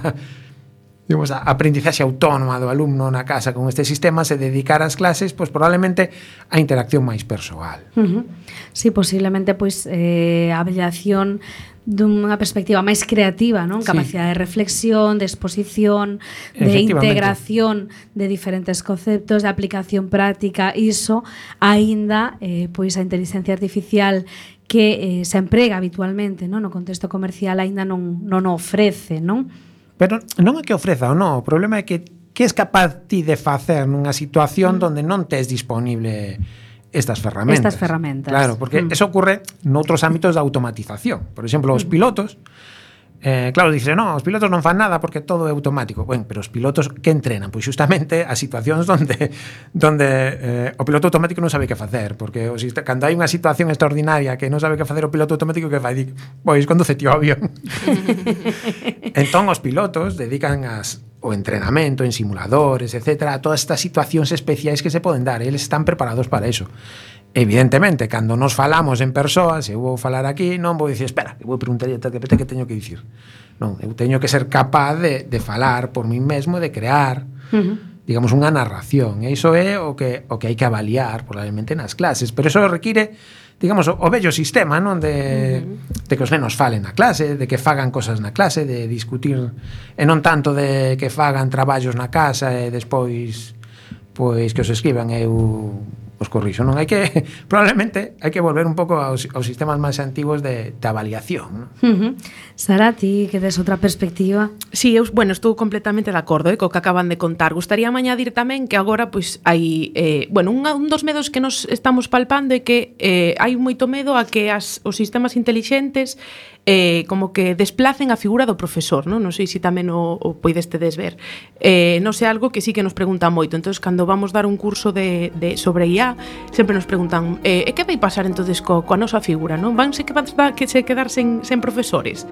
digamos, a aprendizaxe autónoma do alumno na casa con este sistema, se dedicar ás clases, pois probablemente a interacción máis persoal. Uh-huh. Sí, posiblemente pois eh, a avaliación dunha perspectiva máis creativa, non? Capacidade sí. de reflexión, de exposición, de integración de diferentes conceptos, de aplicación práctica, iso aínda eh, pois a inteligencia artificial que eh, se emprega habitualmente, non? No contexto comercial aínda non non o ofrece, non? Pero non é que ofreza ou non, o problema é que que es capaz ti de facer nunha situación mm. onde non tes disponible estas ferramentas. Estas ferramentas. Claro, porque mm. eso ocurre noutros ámbitos de automatización. Por exemplo, os pilotos, eh, claro, dicen, non, os pilotos non fan nada porque todo é automático. Bueno, pero os pilotos que entrenan? Pois justamente as situacións onde donde eh, o piloto automático non sabe que facer, porque o, cando hai unha situación extraordinaria que non sabe que facer o piloto automático, que fai? Dic, pois conduce ti o avión. Entón, os pilotos dedican as o entrenamento en simuladores, etcétera, todas estas situacións especiais que se poden dar, eles están preparados para eso. Evidentemente, cando nos falamos en persoas, se eu vou falar aquí, non vou dicir, espera, que vou preguntar a ChatGPT que teño que dicir. Non, eu teño que ser capaz de, de falar por mí mesmo, de crear, uh-huh. digamos, unha narración. E iso é o que, o que hai que avaliar, probablemente, nas clases. Pero iso require, digamos, o, o bello sistema, non? De, uh-huh. de que os nenos falen na clase, de que fagan cosas na clase, de discutir, e non tanto de que fagan traballos na casa e despois, pois, que os escriban e eu os corrixo, non? Hai que, probablemente, hai que volver un pouco aos, aos sistemas máis antigos de, de avaliación, non? Uh-huh. Sara, ti que des outra perspectiva? Sí, eu, bueno, estou completamente de acordo eh, co que acaban de contar. Gustaría añadir tamén que agora, pois, hai, eh, bueno, un, un dos medos que nos estamos palpando é que eh, hai moito medo a que as, os sistemas intelixentes eh, como que desplacen a figura do profesor, non? Non sei se tamén o, o poidestedes ver. Eh, non sei, algo que sí que nos preguntan moito. Entonces, cando vamos dar un curso de, de sobre I A, sempre nos preguntan eh, e que vai pasar entonces co, coa nosa figura, non? Vanse que, que se quedar sen, sen profesores?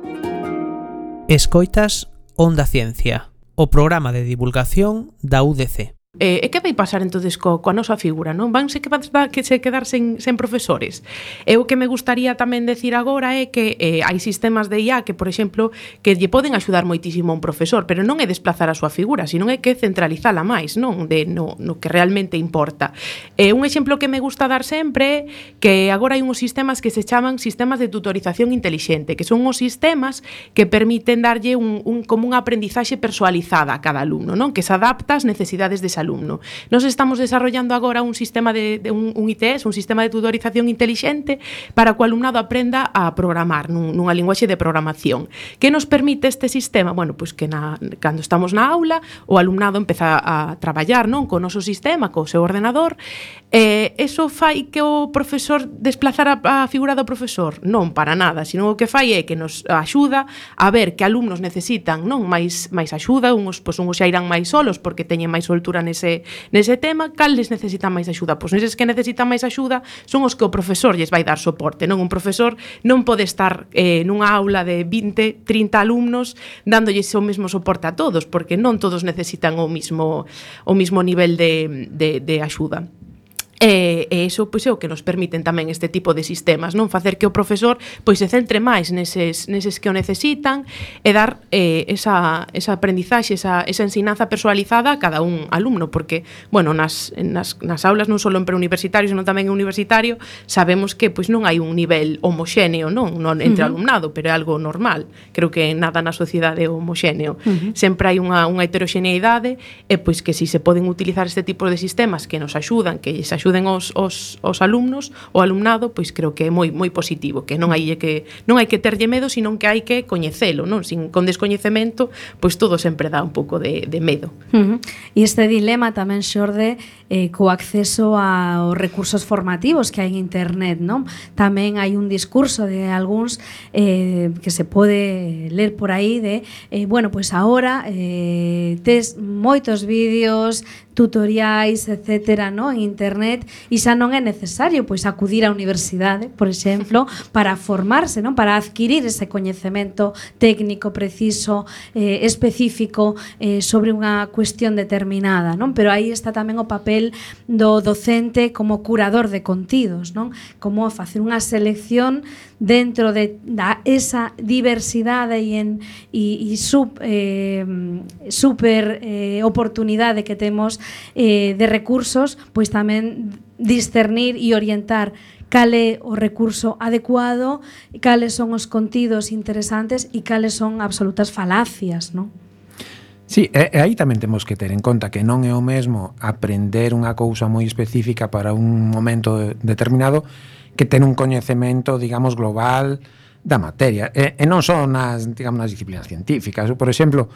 Escoitas Onda Ciencia, o programa de divulgación da U D C. Eh, e que vai pasar entonces co, coa nosa figura, non? Vanse que, que se quedar sen, sen profesores? E o que me gustaría tamén decir agora é que eh, hai sistemas de I A que, por exemplo, que lle poden axudar moitísimo a un profesor, pero non é desplazar a súa figura, sino é que centralizala máis, non? De, no, no que realmente importa. Eh, un exemplo que me gusta dar sempre é que agora hai uns sistemas que se chaman sistemas de tutorización intelixente, que son os sistemas que permiten darlle un, un, como unha aprendizaxe personalizada a cada alumno, non? Que se adapta ás necesidades dese alumno. Nos estamos desarrollando agora un sistema de, de un, un I T S, un sistema de tutorización intelixente para que o alumnado aprenda a programar nun, nunha linguaxe de programación. Que nos permite este sistema? Bueno, pois que na, cando estamos na aula, o alumnado empeza a traballar, non, co noso sistema, co seu ordenador, e eh, eso fai que o profesor desplazar a, a figura do profesor? Non, para nada, sino o que fai é que nos axuda a ver que alumnos necesitan, non, máis máis axuda, uns pois uns xa irán máis solos porque teñen máis soltura nese, nese tema, cales necesitan máis axuda? Pois neses que necesitan máis axuda son os que o profesor lles vai dar soporte, non? Un profesor non pode estar eh, nunha aula de vinte, trinta alumnos dándolles o mesmo soporte a todos, porque non todos necesitan o mismo, o mismo nivel de, de, de axuda. E, e iso pois é o que nos permiten tamén este tipo de sistemas, non? Facer que o profesor pois se centre máis neses, neses que o necesitan e dar eh, esa, esa aprendizaxe, esa, esa ensinanza personalizada a cada un alumno, porque, bueno, nas, nas, nas aulas non só en preuniversitario, senón tamén en universitario, sabemos que pois non hai un nivel homoxéneo, non? Non entre uh-huh. alumnado, pero é algo normal. Creo que nada na sociedade é homoxéneo. Uh-huh. Sempre hai unha, unha heteroxeneidade e pois que si se poden utilizar este tipo de sistemas que nos axudan, que lles axudan Os, os, os alumnos, o alumnado, pois creo que é moi moi positivo, que non hai que non hai que terlle medo, sino que hai que coñecelo, non? Sin con descoñecemento, pois todo sempre dá un pouco de, de medo. Uh-huh. E este dilema tamén xorde eh, co acceso aos recursos formativos que hai en internet, non? Tamén hai un discurso de algúns eh, que se pode ler por aí de, eh, bueno, pois agora eh, tes moitos vídeos, tutoriais, etcétera, no, en internet, e xa non é necesario pois acudir á universidade, por exemplo, para formarse, non, para adquirir ese coñecemento técnico preciso, eh, específico eh, sobre unha cuestión determinada, non? Pero aí está tamén o papel do docente como curador de contidos, non? Como facer unha selección dentro de da esa diversidade e en e, e sub, eh, super eh, oportunidade que temos eh, de recursos, pois tamén discernir e orientar cal é o recurso adecuado, cales son os contidos interesantes e cales son absolutas falacias, non? Sí, e, e aí tamén temos que ter en conta que non é o mesmo aprender unha cousa moi específica para un momento determinado que ten un coñecemento, digamos, global da materia. E, e non só nas, digamos, nas disciplinas científicas. Por exemplo,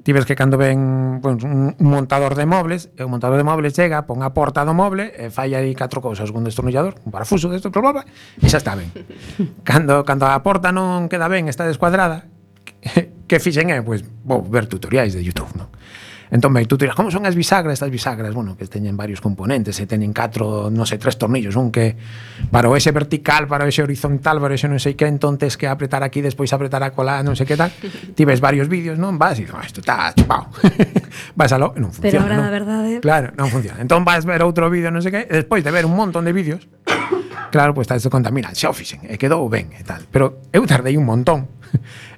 ti ves que cando ven pues, un montador de mobles, e o montador de mobles chega, pon a porta do moble, e fai aí catro cousas, un destornillador, un parafuso desto, bla, bla, e xa está ben. Cando, cando a porta non queda ben, está descuadrada, que fixen é, pois, vou ver tutoriais de YouTube, non? Entón, ben, tú tiras, como son as bisagras? Estas bisagras, bueno, que teñen varios componentes, e teñen catro, non sei, tres tornillos, un que para o exe vertical, para o exe horizontal, para o exe non sei que, entón tes que apretar aquí, despois apretar a cola, non sei que tal. Ti ves varios vídeos, non? Vas e dices, isto está chupado. Vas a lo, e non funciona. Pero ahora, non? a verdade... Claro, non funciona. Entón vas ver outro vídeo, non sei que, e despois de ver un montón de vídeos, claro, pois pues, te conta, mira, xa o fixen, e quedou ben, e tal. Pero eu tardei un montón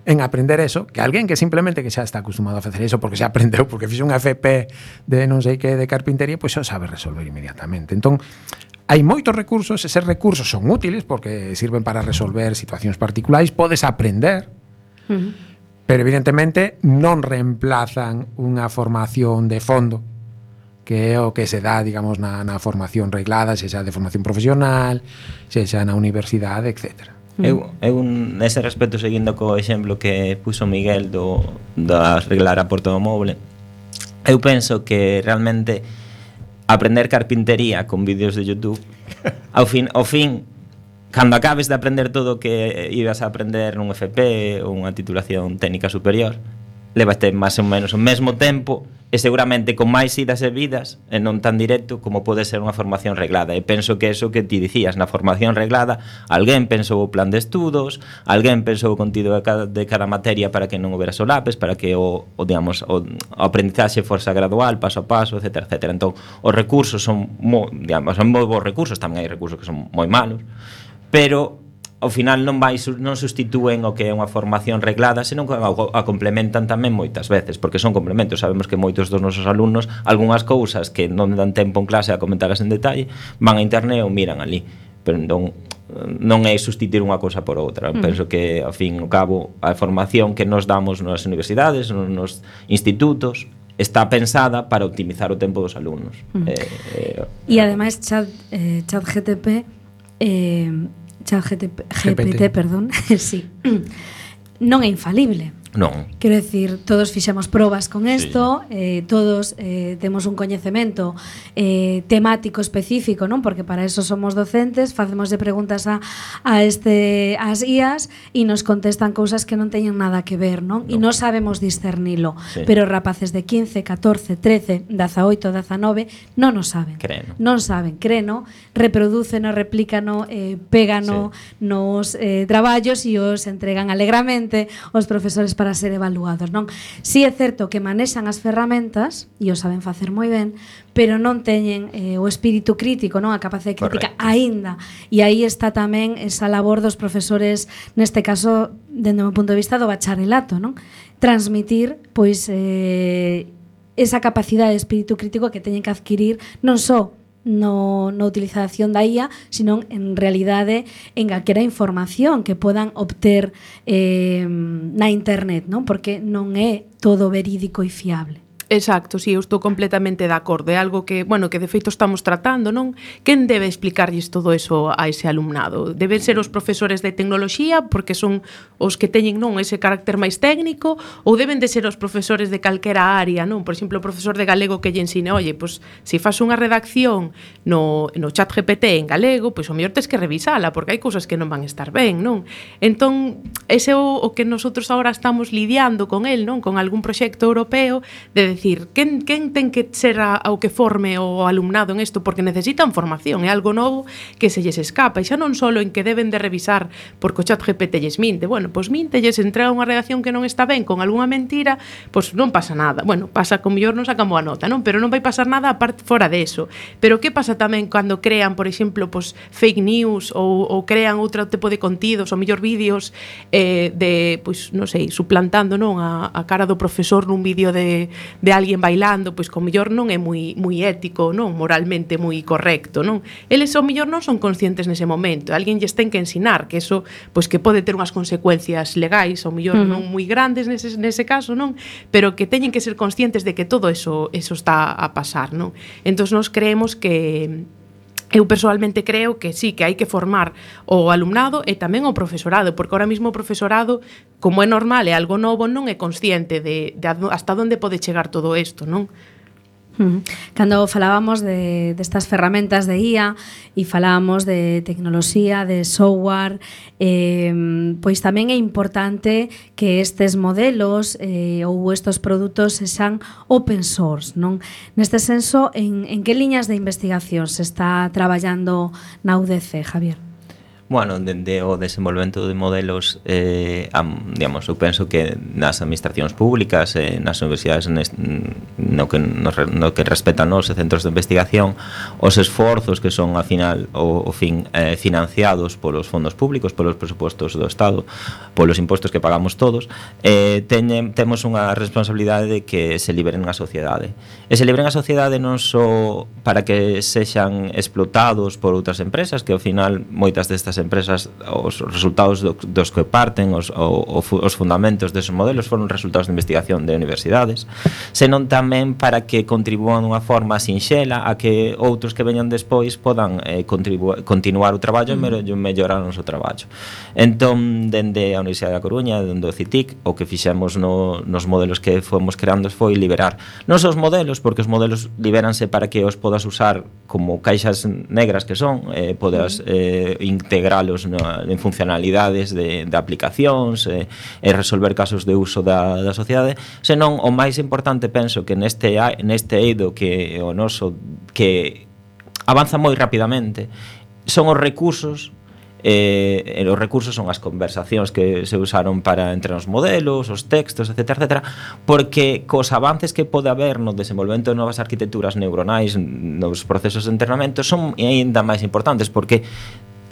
en aprender eso, que alguén que simplemente que xa está acostumado a facer eso porque xa aprendeu, porque fixe un F P de non sei que de carpintería, pois xa sabe resolver inmediatamente. Entón, hai moitos recursos, eses recursos son útiles porque sirven para resolver situacións particulares, podes aprender, uh-huh. pero evidentemente non reemplazan unha formación de fondo, que é o que se dá, digamos, na, na formación reglada, se xa de formación profesional, se xa na universidade, etcétera. Eu, eu nese respecto, seguindo co exemplo que puso Miguel do, da reglar a porta do moble, eu penso que realmente aprender carpintería con vídeos de YouTube ao fin, ao fin cando acabes de aprender todo o que ibas a aprender nun F P ou unha titulación técnica superior, levaste máis ou menos o mesmo tempo e seguramente con máis idas e vidas e non tan directo como pode ser unha formación reglada. E penso que eso que ti dicías, na formación reglada alguén pensou o plan de estudos, alguén pensou o contido de cada, de cada materia para que non houbera solapes, para que o, o, digamos, o, o aprendizaxe forza gradual, paso a paso, etcétera, etcétera. Entón, os recursos son moi, digamos, son moi bons recursos, tamén hai recursos que son moi malos, pero ao final non vai non sustitúen o que é unha formación reglada, senón que a complementan tamén moitas veces, porque son complementos. Sabemos que moitos dos nosos alumnos algunhas cousas que non dan tempo en clase a comentaras en detalle, van a internet ou miran ali, pero non non é sustituir unha cousa por outra. Mm. Penso que ao fin ao cabo a formación que nos damos nas universidades, nos institutos, está pensada para optimizar o tempo dos alumnos. Mm. Eh, eh, e ademais chat eh, ChatGPT eh ChatGPT, G P T, perdón, sí, non é infalible. Non. Quero decir, todos fixemos probas con isto, sí. eh, todos eh, temos un coñecemento eh, temático específico, non? Porque para eso somos docentes, facemos de preguntas a, a este as I As e nos contestan cousas que non teñen nada que ver, non? No. E non sabemos discernilo, sí. Pero rapaces de quince, catorce, trece, dezaoito, dezanove non o saben. Creno. Non saben, creno, reprodúceno, replícano, eh, pégano sí. nos eh, traballos e os entregan alegramente os profesores para ser evaluados, non? Si é certo que manexan as ferramentas e o saben facer moi ben, pero non teñen eh, o espírito crítico, non? A capacidade crítica aínda. E aí está tamén esa labor dos profesores, neste caso, dende o meu punto de vista do bacharelato, non? Transmitir, pois, eh, esa capacidade de espírito crítico que teñen que adquirir non só no, no utilización da I A, sino en realidade en calquera información que podan obter eh, na internet, non? Porque non é todo verídico e fiable. Exacto, si, sí, eu estou completamente de acordo. É algo que, bueno, que de feito estamos tratando, non? Quen debe explicarlles todo eso a ese alumnado? Deben ser os profesores de tecnoloxía, porque son os que teñen, non, ese carácter máis técnico, ou deben de ser os profesores de calquera área, non? Por exemplo, o profesor de galego que lle ensine, oye, pois, se faz unha redacción no, no chat G P T en galego, pois o mellor tes que revisala, porque hai cousas que non van estar ben, non? Entón, ese é o, o que nosotros agora estamos lidiando con el, non? Con algún proxecto europeo de decir, quen, quen ten que ser a, ao que forme o alumnado en isto, porque necesitan formación, é algo novo que se lles escapa, e xa non só en que deben de revisar porque o chat G P T lles minte, bueno, pois minte, lles entrega unha redacción que non está ben con algunha mentira, pois non pasa nada, bueno, pasa con mellor non sacamos a nota, non? Pero non vai pasar nada aparte fora de eso. Pero que pasa tamén cando crean, por exemplo, pois fake news ou, ou crean outro tipo de contidos, ou mellor vídeos eh, de, pois, non sei, suplantando, non, a, a cara do profesor nun vídeo de, de de alguén bailando, pois co mellor non é moi moi ético, non, moralmente moi correcto, non? Eles ao mellor non son conscientes nese momento, alguén lles ten que ensinar que eso, pois que pode ter unhas consecuencias legais, ao mellor uh -huh. non moi grandes nese nese caso, non? Pero que teñen que ser conscientes de que todo eso eso está a pasar, non? Entón nós creemos que eu persoalmente creo que sí, que hai que formar o alumnado e tamén o profesorado, porque ahora mismo o profesorado, como é normal, é algo novo, non é consciente de, de hasta onde pode chegar todo isto, non? Cando falábamos de destas ferramentas de I A e falábamos de tecnoloxía, de software, eh, pois tamén é importante que estes modelos eh, ou estes produtos sexan open source, non? Neste senso, en, en que liñas de investigación se está traballando na U D C, Javier? Bueno, dende o desenvolvemento de modelos, eh, am, digamos, eu penso que nas administracións públicas, eh, nas universidades, nes, no, que, no, no que respetan os centros de investigación, os esforzos que son, ao final, o, o fin, eh, financiados polos fondos públicos, polos presupostos do Estado, polos impostos que pagamos todos, eh, teñen, temos unha responsabilidade de que se liberen a sociedade. E se liberen a sociedade non só para que sexan explotados por outras empresas, que ao final moitas destas empresas, os resultados do, dos que parten, os, o, os fundamentos deses modelos foron resultados de investigación de universidades, senón tamén para que contribúan dunha forma sinxela a que outros que veñan despois podan eh, continuar o traballo e mm. mellorar o noso traballo. Entón, dende a Universidade da Coruña, dende o C I T I C, o que fixemos no, nos modelos que fomos creando foi liberar non só os modelos, porque os modelos liberanse para que os podas usar como caixas negras que son, eh, podas eh, integrar en funcionalidades de, de aplicacións e, e resolver casos de uso da, da sociedade, senón o máis importante penso que neste, neste eido que o noso que avanza moi rapidamente son os recursos. Eh, e os recursos son as conversacións que se usaron para entre os modelos, os textos, etcétera, etcétera, porque cos avances que pode haber no desenvolvemento de novas arquitecturas neuronais, nos procesos de entrenamento, son aínda máis importantes, porque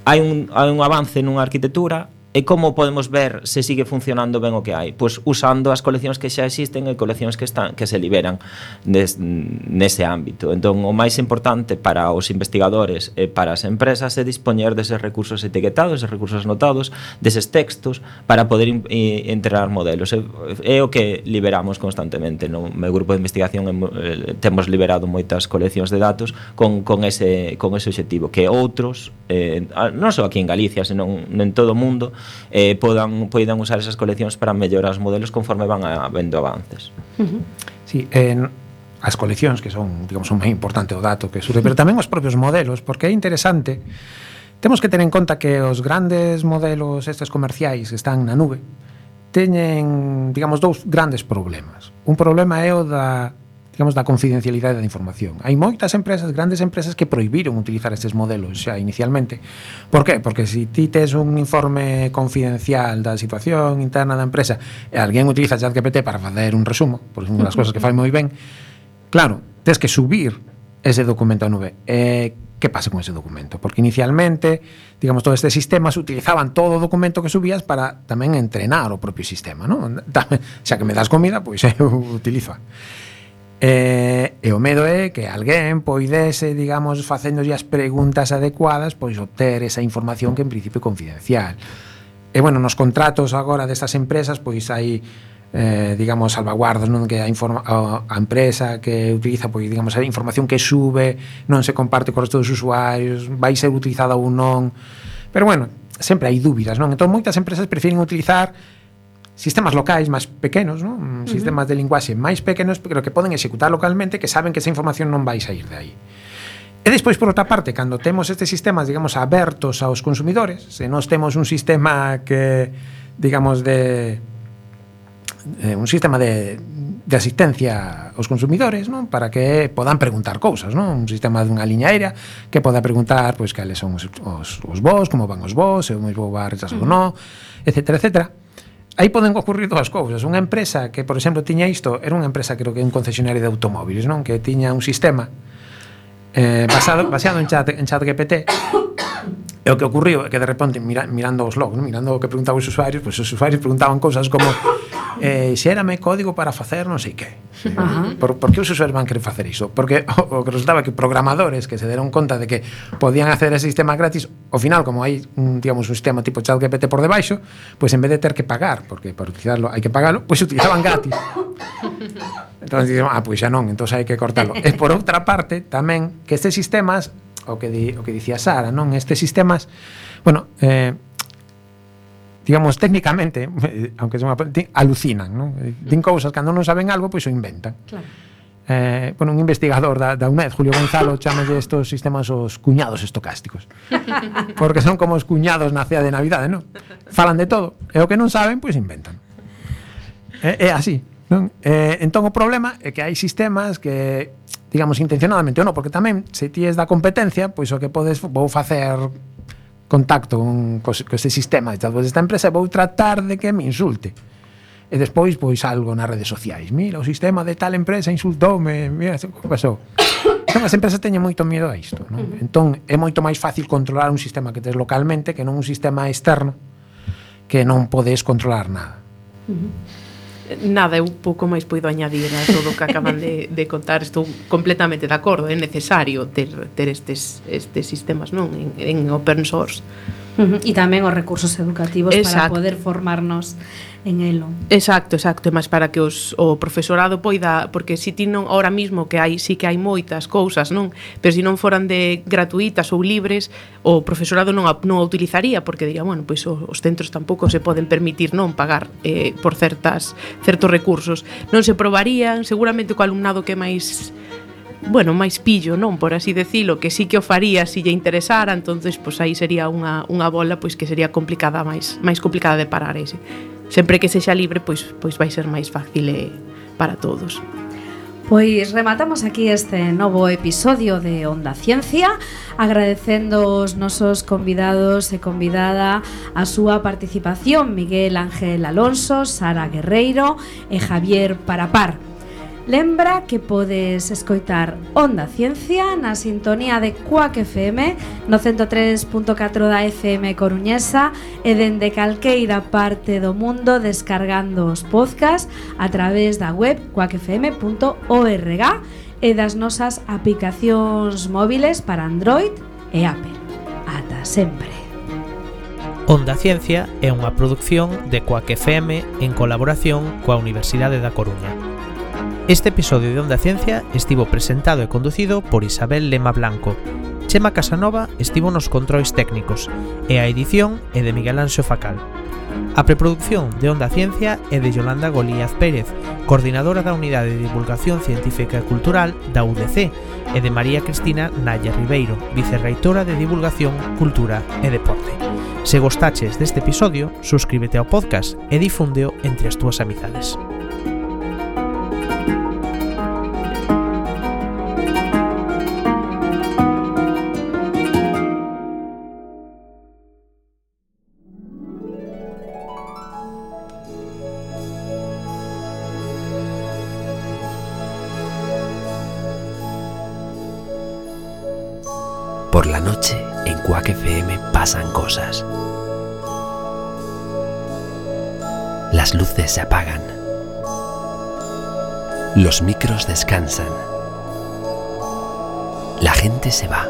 hai un, hai un avance nunha arquitectura e como podemos ver se sigue funcionando ben o que hai? Pois usando as coleccións que xa existen e coleccións que están que se liberan des, nese ámbito. Entón, o máis importante para os investigadores e para as empresas é dispoñer deses recursos etiquetados, deses recursos anotados, deses textos para poder in, in, entrenar modelos. É, é o que liberamos constantemente. No meu grupo de investigación eh, temos liberado moitas coleccións de datos con, con, ese, con ese objetivo, que outros, eh, non só aquí en Galicia, senón en todo o mundo, Eh, podan, poidan usar esas coleccións para mellorar os modelos conforme van habendo avances. Uh-huh. Sí, en as coleccións que son, digamos, un moi importante o dato que surge, pero tamén os propios modelos, porque é interesante. Temos que ter en conta que os grandes modelos estes comerciais que están na nube teñen, digamos, dous grandes problemas. Un problema é o da digamos, da confidencialidade da información. Hai moitas empresas, grandes empresas, que prohibiron utilizar estes modelos xa inicialmente. Por qué? Porque se si ti tes un informe confidencial da situación interna da empresa e alguén utiliza ChatGPT para facer un resumo, por unha das cosas que fai moi ben, claro, tes que subir ese documento a nube. E que pasa con ese documento? Porque inicialmente, digamos, todos estes sistemas utilizaban todo o documento que subías para tamén entrenar o propio sistema, non? Xa que me das comida, pois eu utilizo. E, e o medo é que alguén poidese, digamos, facéndolle as preguntas adecuadas, pois obter esa información que en principio é confidencial. E bueno, nos contratos agora destas empresas, pois hai eh, digamos, salvaguardas, non, que a, informa, a, a empresa que utiliza, pois, digamos, a información que sube non se comparte co resto dos usuarios, vai ser utilizada ou non. Pero bueno, sempre hai dúbidas, non? Entón moitas empresas prefiren utilizar sistemas locais máis pequenos, non? Uh-huh. Sistemas de linguaxe máis pequenos, pero que poden executar localmente, que saben que esa información non vai sair de aí. E despois, por outra parte, cando temos estes sistemas, digamos, abertos aos consumidores, se nós temos un sistema que, digamos, de eh, un sistema de, de asistencia aos consumidores, non? Para que podan preguntar cousas, non? Un sistema dunha liña aérea que poda preguntar, pois, cales son os, os, os voos, como van os voos, se o mesmo va retrasado ou non, etcétera, etcétera. Aí poden ocurrir dúas cousas. Unha empresa que, por exemplo, tiña isto, era unha empresa, creo que un concesionario de automóviles, non? Que tiña un sistema eh, basado, baseado en chat, en ChatGPT. E o que ocurriu é que de repente, mira, mirando os logs, ¿no? Mirando o que preguntaban os usuarios, pues os usuarios preguntaban cousas como eh, xérame código para facer non sei que. Uh-huh. Por, por que os usuarios van querer facer iso? Porque o, o que resultaba que programadores que se deron conta de que podían acceder a ese sistema gratis, ao final, como hai un, digamos, un sistema tipo ChatGPT por debaixo, pues en vez de ter que pagar, porque para utilizarlo hai que pagarlo, pues utilizaban gratis. Entón, dicen, ah, pois xa non, entón hai que cortarlo. E por outra parte, tamén, que estes sistemas, o que, di, o que dicía Sara, non? Estes sistemas, bueno, eh, digamos, técnicamente, eh, aunque son, alucinan, non? Din cousas, cando non saben algo, pois o inventan. Claro. Eh, bueno, un investigador da, da UNED, Julio Gonzalo, chamalle estos sistemas os cuñados estocásticos. Porque son como os cuñados na cea de Navidade, non? Falan de todo, e o que non saben, pois inventan. É, é así, non? Eh, entón o problema é que hai sistemas que, digamos, intencionadamente ou non, porque tamén, se ti es da competencia, pois o que podes, vou facer contacto con, con este sistema desta empresa e vou tratar de que me insulte. E despois, pois, algo nas redes sociais. Mira, o sistema de tal empresa insultoume, mira, que pasou. Entón, as empresas teñen moito miedo a isto, non? Uh-huh. Entón, é moito máis fácil controlar un sistema que tes localmente que non un sistema externo que non podes controlar nada. Uh-huh. Nada, eu pouco máis poido añadir a todo o que acaban de, de contar. Estou completamente de acordo, é necesario ter, ter estes, estes sistemas, non? En, en open source. Uh-huh. E tamén os recursos educativos. Exacto. Para poder formarnos en elo. Exacto, exacto, mas para que os, o profesorado poida, porque si ti non, ahora mismo que hai, si que hai moitas cousas, non? Pero se si non foran de gratuitas ou libres, o profesorado non a, non a utilizaría, porque diría, bueno, pois os, os centros tampouco se poden permitir non pagar eh, por certas certos recursos. Non se probarían, seguramente co alumnado que máis, bueno, máis pillo, non, por así decilo, que sí que o faría se lle interesara, entonces pois aí sería unha, unha bola pois que sería complicada, máis máis complicada de parar ese. Sempre que sexa libre, pois pois vai ser máis fácil eh, para todos. Pois rematamos aquí este novo episodio de Onda Ciencia, agradecendo os nosos convidados e convidada a súa participación, Miguel Ángel Alonso, Sara Guerreiro e Javier Parapar. Lembra que podes escoitar Onda Ciencia na sintonía de Cuac F M no ciento tres punto catro da F M coruñesa e dende calqueira parte do mundo descargando os podcast a través da web cuac f m punto org e das nosas aplicacións móviles para Android e Apple. Ata sempre. Onda Ciencia é unha produción de Cuac F M en colaboración coa Universidade da Coruña. Este episodio de Onda Ciencia estivo presentado e conducido por Isabel Lema Blanco. Chema Casanova estivo nos controis técnicos e a edición é de Miguel Anxo Facal. A preproducción de Onda Ciencia é de Yolanda Golíaz Pérez, coordinadora da Unidade de Divulgación Científica e Cultural da U D C, e de María Cristina Nalla Ribeiro, vicerreitora de Divulgación, Cultura e Deporte. Se gostaches deste episodio, suscríbete ao podcast e difúndeo entre as túas amizades. Por la noche, en Cuac F M pasan cosas. Las luces se apagan. Los micros descansan. La gente se va.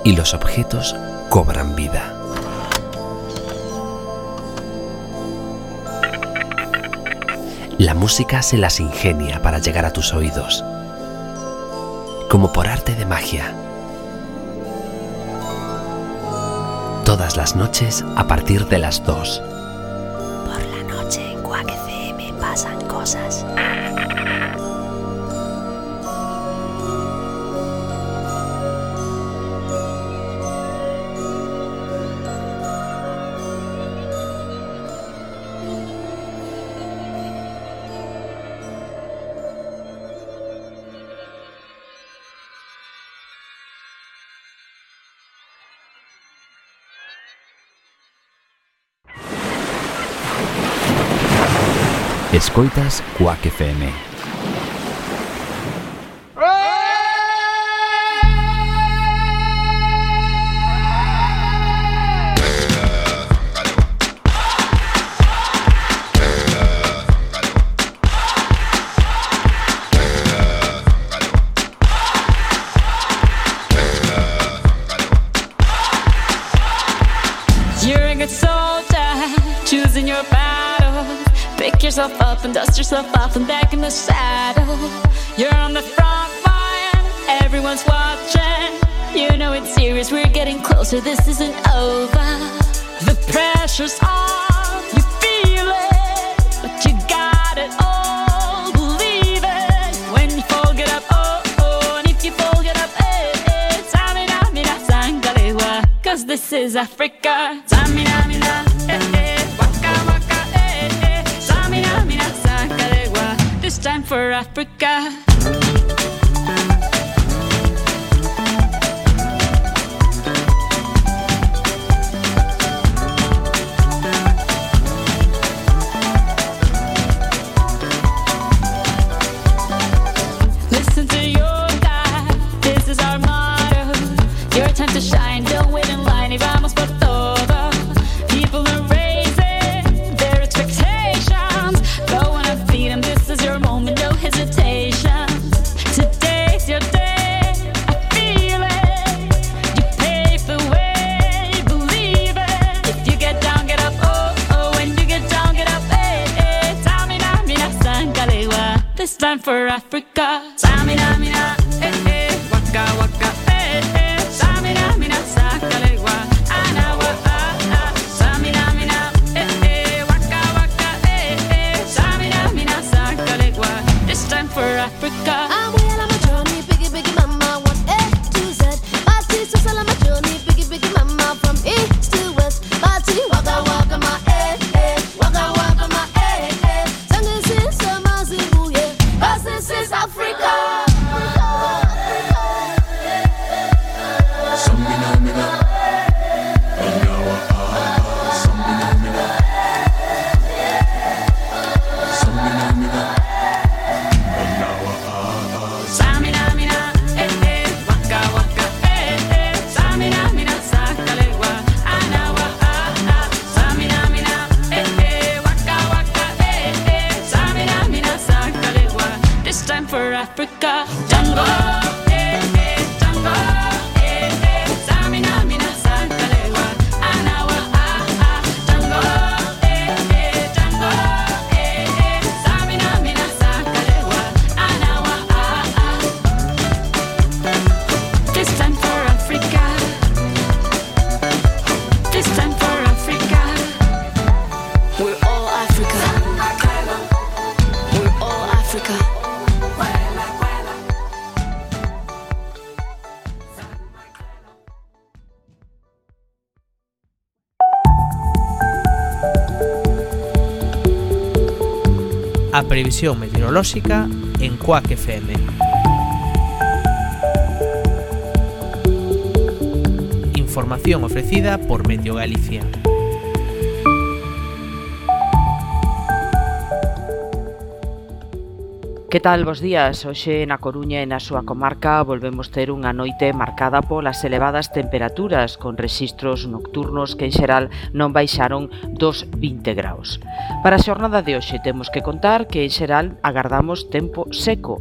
Y los objetos cobran vida. La música se las ingenia para llegar a tus oídos. Como por arte de magia. Todas las noches a partir de las dos. Por la noche en Cuac F M pasan cosas. Escoitas Cuac F M. You're a good soldier, choosing your battle. Pick yourself up and dust yourself off and back in the saddle. You're on the front line, everyone's watching. You know it's serious, we're getting closer, this isn't over. The pressure's on, you feel it, but you got it all. this is Africa. Samina, mina, eh, eh, waka, waka, eh, eh. Samina, mina, sakalegua. This time for Africa. Listen to your God, this is our motto. Your time to shine, don't wait in line, y vamos por todo. People are raising their expectations. Go on and feed them, this is your moment, no hesitation. Today's your day, I feel it. You pave the way, believe it. If you get down, get up, oh, oh. When you get down, get up, eh, eh. Samina, mina, sangalewa. This time for Africa. Samina, mina, eh, eh. Waka, waka, eh, eh. Samina, mina, sangalewa. Anawa, ah, ah. Samina, mina, eh, eh. Waka, waka, eh, eh. Samina, mina, sangalewa. This time for Africa. I'm well on my journey, biggie, biggie mama, one A to Z. Party, so on my journey, biggie, biggie mama, from east to west. Party, waka, waka, my eh, eh. Waka, waka, my eh, eh. Sangin' since summer, Zimbabwe, yeah. 'Cause this is Africa. Samina, mina, eh, eh. Waka, waka, eh, eh. Samina, mina, sakalegua. Anawa, ah, ah. Samina, mina, eh, eh. Waka, waka, eh, eh. Samina, mina, sakalegua. This time for Africa. Tango, eh, eh. Tango, eh, eh. Samina, mina, sakalegua. Anawa, ah, ah. Tango, eh, eh. Tango, eh, eh. Samina, mina, sakalegua. Anawa, ah, ah. This time for Africa. This time for Africa. We're all Africa. We're all Africa. A previsión meteorolóxica en Quack F M. Información ofrecida por Meteo Galicia. Que tal, bos días? Hoxe na Coruña e na súa comarca volvemos ter unha noite marcada polas elevadas temperaturas con rexistros nocturnos que en xeral non baixaron dos vinte graus. Para a xornada de hoxe temos que contar que en xeral agardamos tempo seco